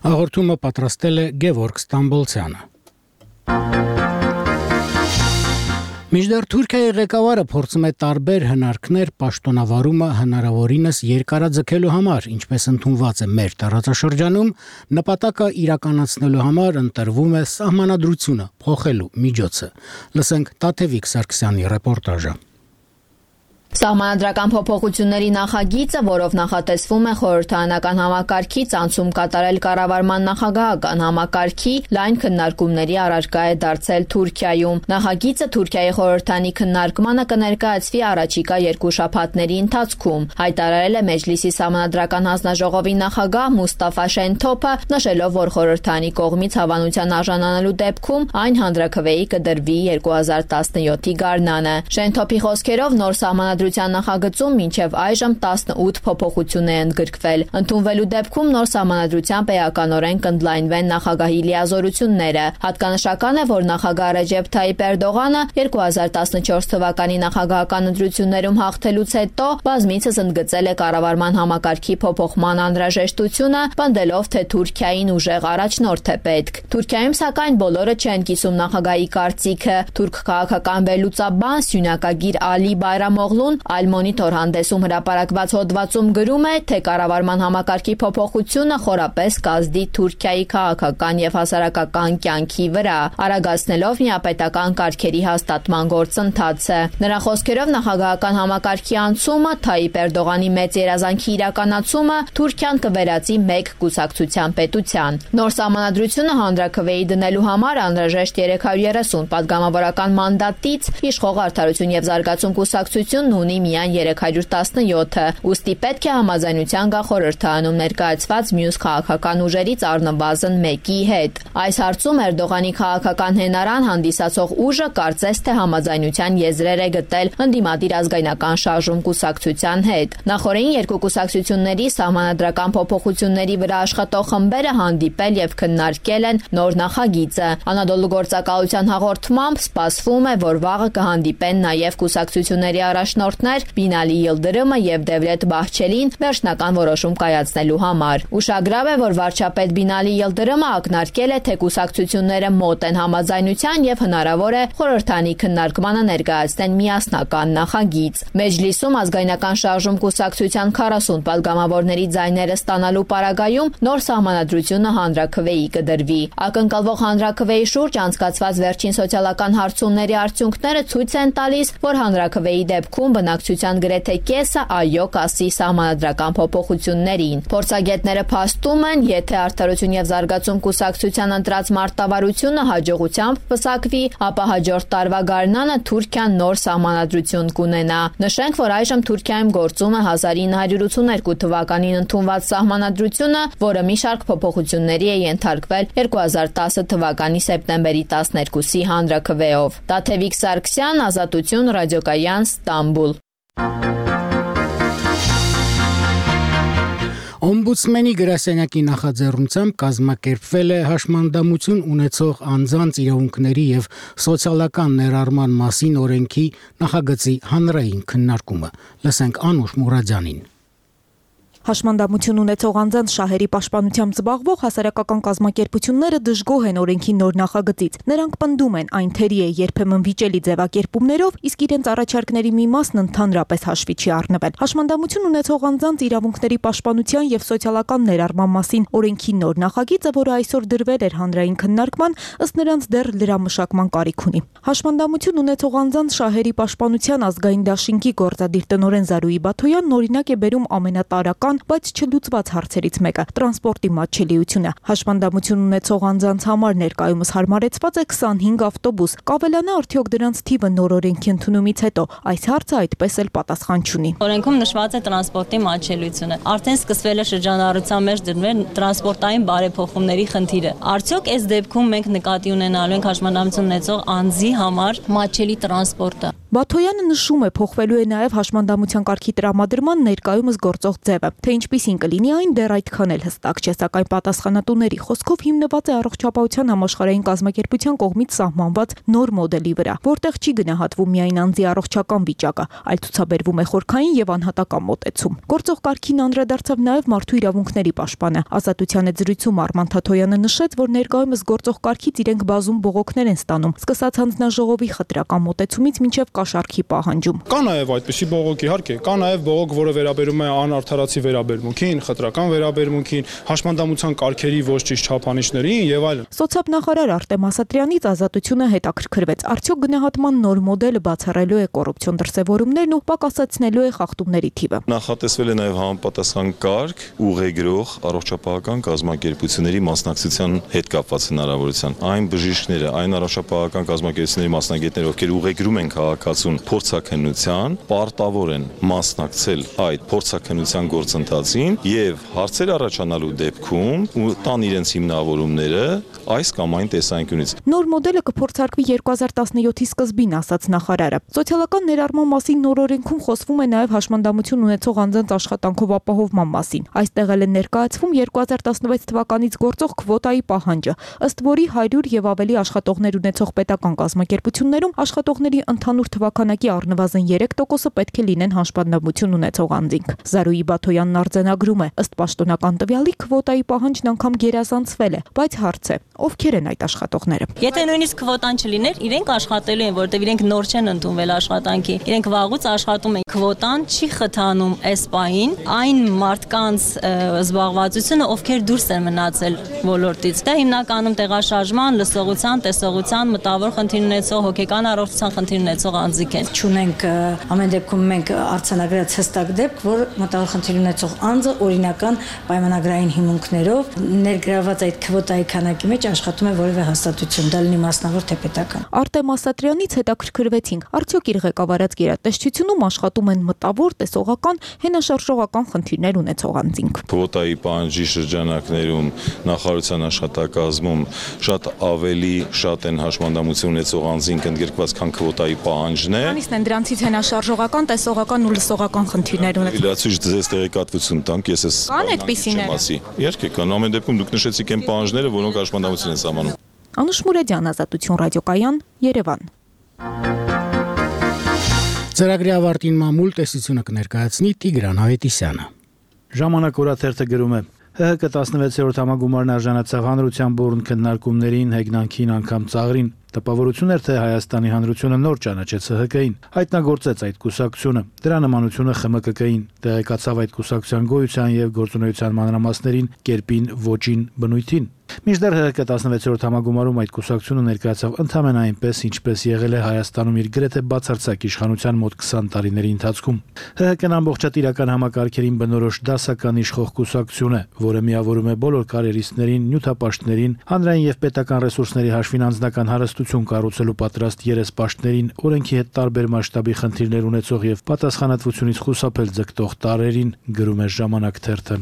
Հաղորդումը պատրաստել է Գևորգ Ստամբոլցյանը։ Միջդեռ Թուրքիայի ղեկավարը փորձում է տարբեր հնարքներ պաշտոնավարումը հնարավորինս երկարաձգելու համար, ինչպես ընդունված է մեր տարածաշրջանում, նպատակը իրականացնելու համար ընտրվում է սահմանադրությունը փոխելու միջոցը։ Լսենք Տաթևիկ Սարգսյանի ռեպորտաժը։ Սահմանադրական փոփոխությունների նախագիծը, որով նախատեսվում է խորհրդարանական համակարգից անցում կատարել կառավարման նախագահական համակարգի, լայն քննարկումների առարկա է դարձել Թուրքիայում։ Նախագիծը Թուրքիայի խորհրդարանի քննարկմանը կներկայացվի առաջիկա 2 շաբաթների ընթացքում, հայտարարել է Մեջլիսի սահմանադրական հանձնաժողովի նախագահ Մուստաֆա Շենթոփը, նշելով, որ խորհրդարանի կողմից հավանության արժանանալու դեպքում այն հանրաքվեի կդրվի 2017-ի գարնանը։ Շենթոփի խոսքերով նոր սահմանադրության նախագծում մինչև այժմ 18 փոփոխություն է ընդգրկվել։ Ընդունվելու դեպքում նոր սահմանադրությամբ էականորեն կընդլայնվեն նախագահի լիազորությունները։ Հատկանշական է, որ նախագահ Ռեջեփ Թայիպ Էրդողանը 2014 թվականի նախագահական ընտրություններում հաղթելուց հետո բազմիցս ընդգծել է կառավարման համակարգի փոփոխման անհրաժեշտությունը, պնդելով, թե Թուրքիային ուժեղ առաջնորդ է պետք։ Թուրքիայում սակայն բոլորը չեն կիսում նախագահի կարծիքը։ Թուրք քաղաքական վերլուծաբան Սյունակագիր Ալի Բայրամօղլուն այլ մոնիտոր հանդեսում հրապարակված հոդվածում գրում է, թե կառավարման համակարգի փոփոխությունը խորապես կազդի Թուրքիայի քաղաքական եւ հասարակական կյանքի վրա, արագացնելով միապետական կարգերի հաստատման գործընթացը։ Նրա խոսքերով նախագահական համակարգի անցումը, Թայիպ Էրդողանի մեծ երազանքի իրականացումը Թուրքիան կվերածի մեկ կուսակցության պետության։ Նոր սահմանադրությունը հանրաքվեի դնելու համար անհրաժեշտ 330 падգամավորական մանդատից իշխող Արդարություն եւ զարգացում կուսակցությունն ունի միայն 317-ը, ուստի պետք է համաձայնության գա խորհրդարանում ներկայացված մյուս քաղաքական ուժերից առնվազն մեկի հետ։ Այս հարցում Էրդողանի քաղաքական հենարան հանդիսացող ուժը կարծես թե համաձայնության եզրեր է գտել ընդդիմադիր ազգայնական շարժում կուսակցության հետ։ Նախորդին երկու կուսակցությունների սահմանադրական փոփոխությունների վրա աշխատող խմբերը հանդիպել եւ քննարկել են նոր նախագիծը։ Անադոլու գործակալության հաղորդմամբ սպասվում է, որ վաղը կհանդիպեն նաեւ կուսակցությունների առաջնորդներ Բինալի Յիլդրիմը եւ Դևլետ Բահչելին վերջնական որոշում կայացնելու համար։ Ուշագրավ է, որ վարչապետ Բինալի Յիլդրիմը ակնարկել է, թե կուսակցությունները մոտ են համաձայնության եւ հնարավոր է խորհրդարանի քննարկմանը ներկայացնեն միասնական նախագիծ։ Մեջլիսում ազգայնական շարժում կուսակցության 40 падգամավորների ձայները ստանալու պարագայում նոր սահմանադրությունը հանրաքվեի կդրվի։ Ակնկալվող հանրաքվեի շուրջ անցկացված վերջին սոցիալական հարցումների արդյունքները ցույց են տալիս, որ հանրաքվեի դեպքում բնակչության գրեթե կեսը այո կասի սահմանադրական փոփոխություններին։ Փորձագետները փաստում են, եթե Արդարություն եւ զարգացում կուսակցության ընտրած մարտավարությունը հաջողությամբ պսակվի, ապա հաջորդ տարվա գարնանը Թուրքիան նոր սահմանադրություն կունենա։ Նշենք, որ այժմ Թուրքիայում գործում է 1982 թվականին ընդունված սահմանադրությունը, որը մի շարք փոփոխությունների է ենթարկվել 2010 թվականի սեպտեմբերի 12-ի հանրաքվեով։ Տաթևիկ Սարգսյան, Ազատություն, Ռադիոկայան, Ստամբուլ։ Օմբուդսմենի գրասենյակի նախաձեռնությամբ կազմակերպվել է հաշմանդամություն ունեցող անձանց իրավունքների եւ սոցիալական ներառման մասին օրենքի նախագծի հանրային քննարկումը։ Լսենք Անուշ Մուրադյանին։ Հաշմանդամություն ունեցող անձանց շահերի պաշտպանությամբ զբաղվող հասարակական կազմակերպությունները դժգոհ են օրենքի նոր նախագծից։ Նրանք պնդում են, այն թերի է երբեմն վիճելի ձևակերպումներով, իսկ իրենց առաջարկների մի մասն ընդհանրապես հաշվի չի առնվել։ Հաշմանդամություն ունեցող անձանց իրավունքների պաշտպանության եւ սոցիալական ներառման մասին օրենքի նոր նախագիծը, որը այսօր դրվել էր հանրային քննարկման, ըստ նրանց դեռ լրամշակման կարիք ունի։ Հաշմանդամություն ունեցող անձանց շահերի պաշտպանության ազգային դաշինքի գործադիր տնօրեն Զարուհի Բաթոյանն օրինակ է բերում ամենատարրական հիմնական, բայց չլուծված հարցերից մեկը՝ տրանսպորտի մատչելիությունը։ Հաշվանդամություն ունեցող անձանց համար ներկայումս հարմարեցված է 25 ավտոբուս։ Կավելանա արդյոք դրանց թիվը նոր օրենքի ընդունումից հետո։ Այս հարցը այդպես էլ պատասխան չունի։ Օրենքում նշված է տրանսպորտի մատչելիությունը։ Արդեն սկսվել է շրջանառության մեջ դրվել տրանսպորտային բարեփոխումների խնդիրը։ Արդյոք այս դեպքում մենք նկատի ունենալու ենք հաշմանդամություն ունեցող անձի համար մատչելի տրանսպորտը։ Բաթոյանը նշում է, փոխվելու է նաև հաշմանդամության կարգի տրամադրման ներկայումս գործող ձևը, թե ինչպիսին կլինի այն դեռ այդքան էլ հստակ չէ, սակայն պատասխանատուների խոսքով հիմնված է Առողջապահության համաշխարհային կազմակերպության կողմից սահմանված նոր մոդելի վրա, որտեղ չի գնահատվում միայն անձի առողջական վիճակը, այլ ցուցաբերվում է խորքային եւ անհատական մոտեցում։ Գործող կարգին անդրադարձավ նաև մարդու իրավունքների պաշտպանը։ Ազատության զրույցում Արման Թաթոյանը նշեց, որ ներկայումս գործող կարգից իրենք բազում բողոքներ են ստանում, սկսած հանձնաժողովի խտրական մոտեցումից մինչև կաշառքի պահանջում։ Կա նաև այդպիսի բողոք, իհարկե, կա նաև բողոք, որը վերաբերում է անարդարացի վերաբերմունքին, խտրական վերաբերմունքին, հաշմանդամության կարգերի ոչ ճիշտ չափանիշներին եւ այլն։ Սոցիալնախարար Արտեմ Ասատրյանից Ազատությունը հետաքրքրվեց, արդյոք գնահատման նոր մոդելը բացառելու է կոռուպցիոն դրսևորումներն ու պակասեցնելու է խախտումների թիվը։ Նախատեսվել է նաև համապատասխան կարգ ուղեգրող առողջապահական կազմակերպությունների մասնակցության հետ կապված հնարավորության։ Այն բժիշկները, այն առողջապահական կազմակերպությունների մասնագետները, ովքեր ուղեգրում են քաղաքացուն փորձաքննության, պարտավոր են մասնակցել այդ փորձաքննության գործընթացին եւ հարցեր առաջանալու դեպքում տան իրենց հիմնավորումները այս կամ այն տեսանկյունից։ Նոր մոդելը կփորձարկվի 2017-ի սկզբին, ասաց նախարարը։ Սոցիալական ներառման մասին նոր օրենքում խոսվում է նաև հաշմանդամություն ունեցող անձանց աշխատանքով ապահովման մասին։ Այստեղ էլ է ներկայացվում 2016 թվականից գործող քվոտայի պահանջը, ըստ որի 100 եւ ավելի աշխատողներ ունեցող պետական կազմակերպություններում աշխատողների ընդհանուր թվաքանակի առնվազն 3%-ը պետք է լինեն հաշմանդամություն ունեցող անձինք։ Զարուհի Բաթոյանն արձանագրում է, ըստ պաշտոնական տվյալի քվոտայի պահանջն անգամ գերազանցվել է, բայց հարց է, ովքեր են այդ աշխատողները։ Եթե նույնիսկ քվոտան չլիներ, իրենք աշխատելու են, որտեղ իրենք նոր չեն ընդունվել աշխատանքի։ Իրենք վաղուց աշխատում են։ Քվոտան չի խթանում այս պահին այն մարդկանց զբաղվածությունը, ովքեր դուրս են մնացել ոլորտից։ Դա հիմնականում տեղաշարժման, լսողության, տեսողության, մտավոր խնդիր ունեցող, հոգեկան առողջության խնդիր ունեցող անձիկ են։ Չունենք ամեն դեպքում մենք արձանագրած հստակ դեպք, որ մտավոր խնդիր ունեցող անձը օրինական պայմանագրային հիմունքներով ներգրաված այդ քվոտայի քանակի մեջ աշխատում է որևէ հաստատություն, դա լինի մասնավոր թե պետական։ Արտեմ Ասատրյանից հետաքրքրվեցինք, արդյոք իր ղեկավարած գերատեսչությունում աշխատում են մտավոր, տեսողական, հենաշարժողական խնդիրներ ունեցող անձինք։ Քվոտայի պահանջի շրջանակներում նախարարության աշխատակազմում շատ ավելի շատ են հաշմանդամություն ունեցող անձինք ընդգրկված, քան քվոտայի պահանջն է։ Քանիսն են դրանցից հենաշարժողական, տեսողական ու լսողական խնդիրներ ունեցող։ Լացույց ձեզ տեղեկատվություն տանք, ես ես կան այդպիսիներ։ Իհարկե կան, ամեն դեպքում դուք նշեցիք այն պահանջները, որոնք հաշմանդամություն են սահմանում։ Անուշ Մուրադյան, Ազատություն ռադիոկայան, Երևան։ Ծրագրի ավարտին մամուլ տեսությունը կներկայացնի Տիգրան Հավետիսյանը։ Ժամանակ օրաթերթը գրում է. ՀՀԿ 16-րդ համագումարն արժանացավ հանրության բուրըն քննարկումներին, հեգնանքին, անգամ ծաղրին։ Տպավորություն էր, թե Հայաստանի Հանրությունը նոր ճանաչեց ՀՀԿ-ին, հայտնագործեց այդ կուսակցությունը, դրա նմանությունը ԽՄԿԿ-ին, տեղեկացավ այդ կուսակցության գոյության եւ գործունեության մանրամասներին, կերպին, ոճին, բնույթին։ Մինչդեռ ՀՀԿ 16-րդ համագումարում այդ կուսակցությունը ներկայացավ ընդհանրապես այնպես, ինչպես եղել է Հայաստանում իր գրեթե բացարձակ իշխանության մոտ 20 տարիների ընթացքում։ ՀՀԿ-ն ամբողջատիրական համակարգերին բնորոշ դասական իշխող կուսակցություն է, որը միավորում է բոլոր կարիերիստներին, նյութապաշտներին, հանրային եւ պետական ռեսուրսների հաշվին անձնական հարստություն կառուցելու պատրաստ երեսպաշտներին, օրենքի հետ տարբեր մասշտաբի խնդիրներ ունեցող եւ պատասխանատվությունից խուսափել ձգտող տարրերին, գրում է Ժամանակ թերթը։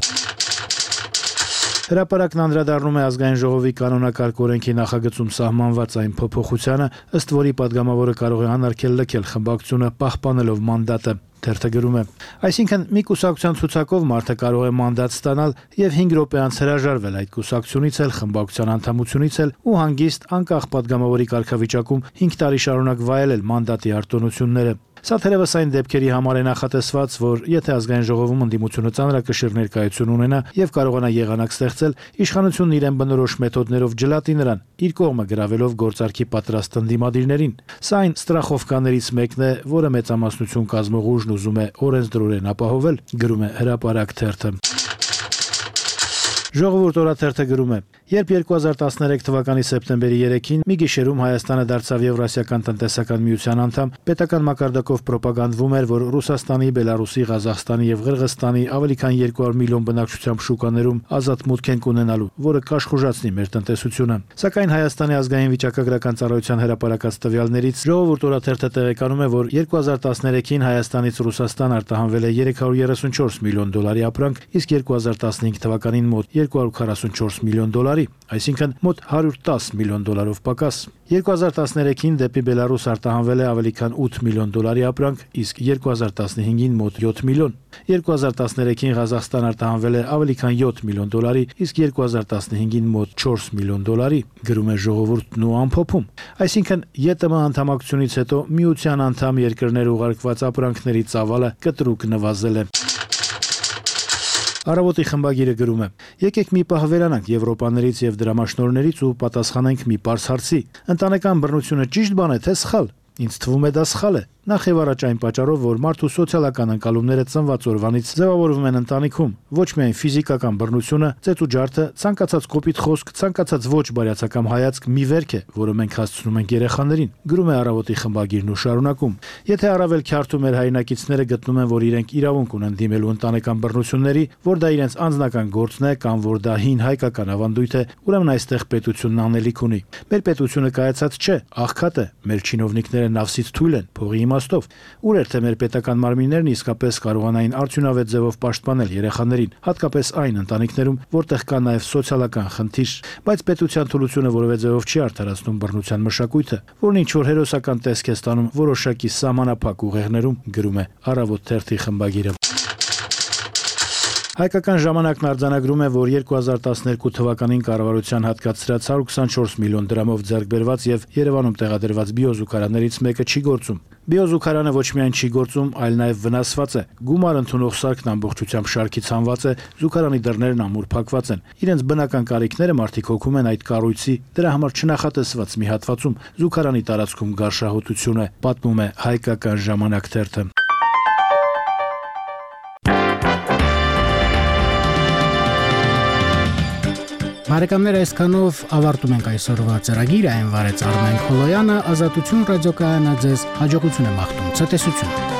Հրապարակն անդրադառնում է ազգային ժողովի կանոնակարգ օրենքի նախագծում սահմանված այն փոփոխությանը, ըստ որի падգամավորը կարող է անարգել լքել խմբակցությունը, պահպանելով մանդատը։ Թերթը գրում է. այսինքն մի կուսակցության ցուցակով մարդը կարող է մանդատ ստանալ եւ 5 րոպե անց հրաժարվել այդ կուսակցությունից էլ, խմբակցության անդամությունից էլ ու հանգիստ անկախ падգամավորի կարգավիճակում 5 տարի շարունակ վայելել մանդատի արտոնությունները։ Սա թերևս այն դեպքերի համար է նախատեսված, որ եթե ազգային ժողովում ընդդիմությունը ծանրակշիռ ներկայություն ունենա եւ կարողանա եղանակ ստեղծել, իշխանությունն իրեն բնորոշ մեթոդներով ջլատի նրան, իր կողմը գրավելով գործարքի պատրաստ ընդդիմադիրներին։ Սա այն ստրախովկաներից մեկն է, որը մեծամասնություն կազմող ուժն ուզում է օրենսդրորեն ապահովել, գրում է Հրապարակ թերթը։ Ժողովուրդ օրաթերթը գրում է. Երբ 2013 թվականի սեպտեմբերի 3-ին մի գիշերում Հայաստանը դարձավ Եվրասիական տնտեսական միության անդամ, պետական մակարդակով պրոպագանդվում էր, որ Ռուսաստանի, Բելարուսի, Ղազախստանի եւ Ղրղստանի ավելի քան 200 միլիոն բնակչությամբ շուկաներում ազատ մուտք են ունենալու, որը կաշխուժացնի մեր տնտեսությունը։ Սակայն Հայաստանի ազգային վիճակագրական ծառայության հրապարակած տվյալներից Ժողովուրդ օրաթերթը տեղեկանում է, որ 2013-ին Հայաստանից Ռուսաստան արտահանվել է 334 միլիոն դոլարի ապրանք, իսկ 2015 թվականին մոտ 244 միլիոն դոլարի, այսինքն մոտ 110 միլիոն դոլարով պակաս։ 2013-ին դեպի Բելարուս արտահանվել է ավելի քան 8 միլիոն դոլարի ապրանք, իսկ 2015-ին մոտ 7 միլիոն։ 2013-ին Ղազախստան արտահանվել է ավելի քան 7 միլիոն դոլարի, իսկ 2015-ին մոտ 4 միլիոն դոլարի, գրում է Ժողովուրդն ու ամփոփում։ Այսինքն ԵՏՄ անդամակցությունից հետո միության անդամ երկրներ ուղարկված ապրանքների ծավալը կտրուկ նվազել է։ Առավոտի խմբագիրը գրում է. Եկեք մի պահ վերանանք Եվրոպաներից եւ դրամաշնորհներից ու պատասխանենք մի պարզ հարցի։ Ընտանեկան բռնությունը ճիշտ բան է, թե սխալ։ Ինձ թվում է դա սխալ է։ Նախ եւ առաջ այն պատճառով, որ մարդու սոցիալական ընկալումները ծնված օրվանից ձևավորվում են ընտանիքում, ոչ միայն ֆիզիկական բռնությունը, ծեծ ու ջարդը, ցանկացած կոպիտ խոսք, ցանկացած ոչ բարյացակամ հայացք մի վերք է, որը մենք հասցնում ենք երեխաներին, գրում է Առավոտի խմբագիրն ու շարունակում։ Եթե առավել քյարթու մեր հայրենակիցները գտնում են, որ իրենք իրավունք ունեն դիմելու ընտանեկան բռնությունների, որ դա իրենց անձնական գործն է կամ որ դա հին հայկական ավանդույթ է, ուրեմն այստեղ պետությունն անելիք ունի։ Մեր պետությունը կայացած չէ, աղքատ է, մեր չինովնիկները նավսից թույլ են, փողի իմաստով։ Ուր էր թե մեր պետական մարմիններն իսկապես կարողանային արդյունավետ ձևով պաշտպանել երեխաներին, հատկապես այն ընտանիքներում, որտեղ կա նաև սոցիալական խնդիր, բայց պետության թուլությունը որևէ ձևով չի արդարացնում բռնության մշակույթը, որն ինչ որ հերոսական տեսք է ստանում որոշակի սահմանափակ ուղեղներում, գրում է Առավոտ թերթի խմբագիրը։ Հայկական ժամանակն արձանագրում է, որ 2012 թվականին կառավարության հատկացրած 124 միլիոն դրամով ձեռք բերված եւ Երևանում տեղադրված բիոզուգարաններից մեկը չի գործում։ Բիոզուգարանը ոչ միայն չի գործում, այլ նաև վնասված է։ Գումար ընդունող սարքն ամբողջությամբ շարքի ցանված է, զուգարանի դռներն ամուր փակված են։ Իրենց բնական կարիքները մարդիկ հոգում են այդ կառույցի, դրա համար չնախատեսված մի հատվածում զուգարանի տարածքում գարշահոտություն է, պատմում է Հայկական ժամանակ թերթը։ Բարեկամներ, այսքանով ավարտում ենք այսօրվա ծրագիրը, այն վարեց Արմեն Քոլոյանը, Ազատություն ռադիոկայանը ձեզ հաջողություն է մաղթում, ցտեսություն։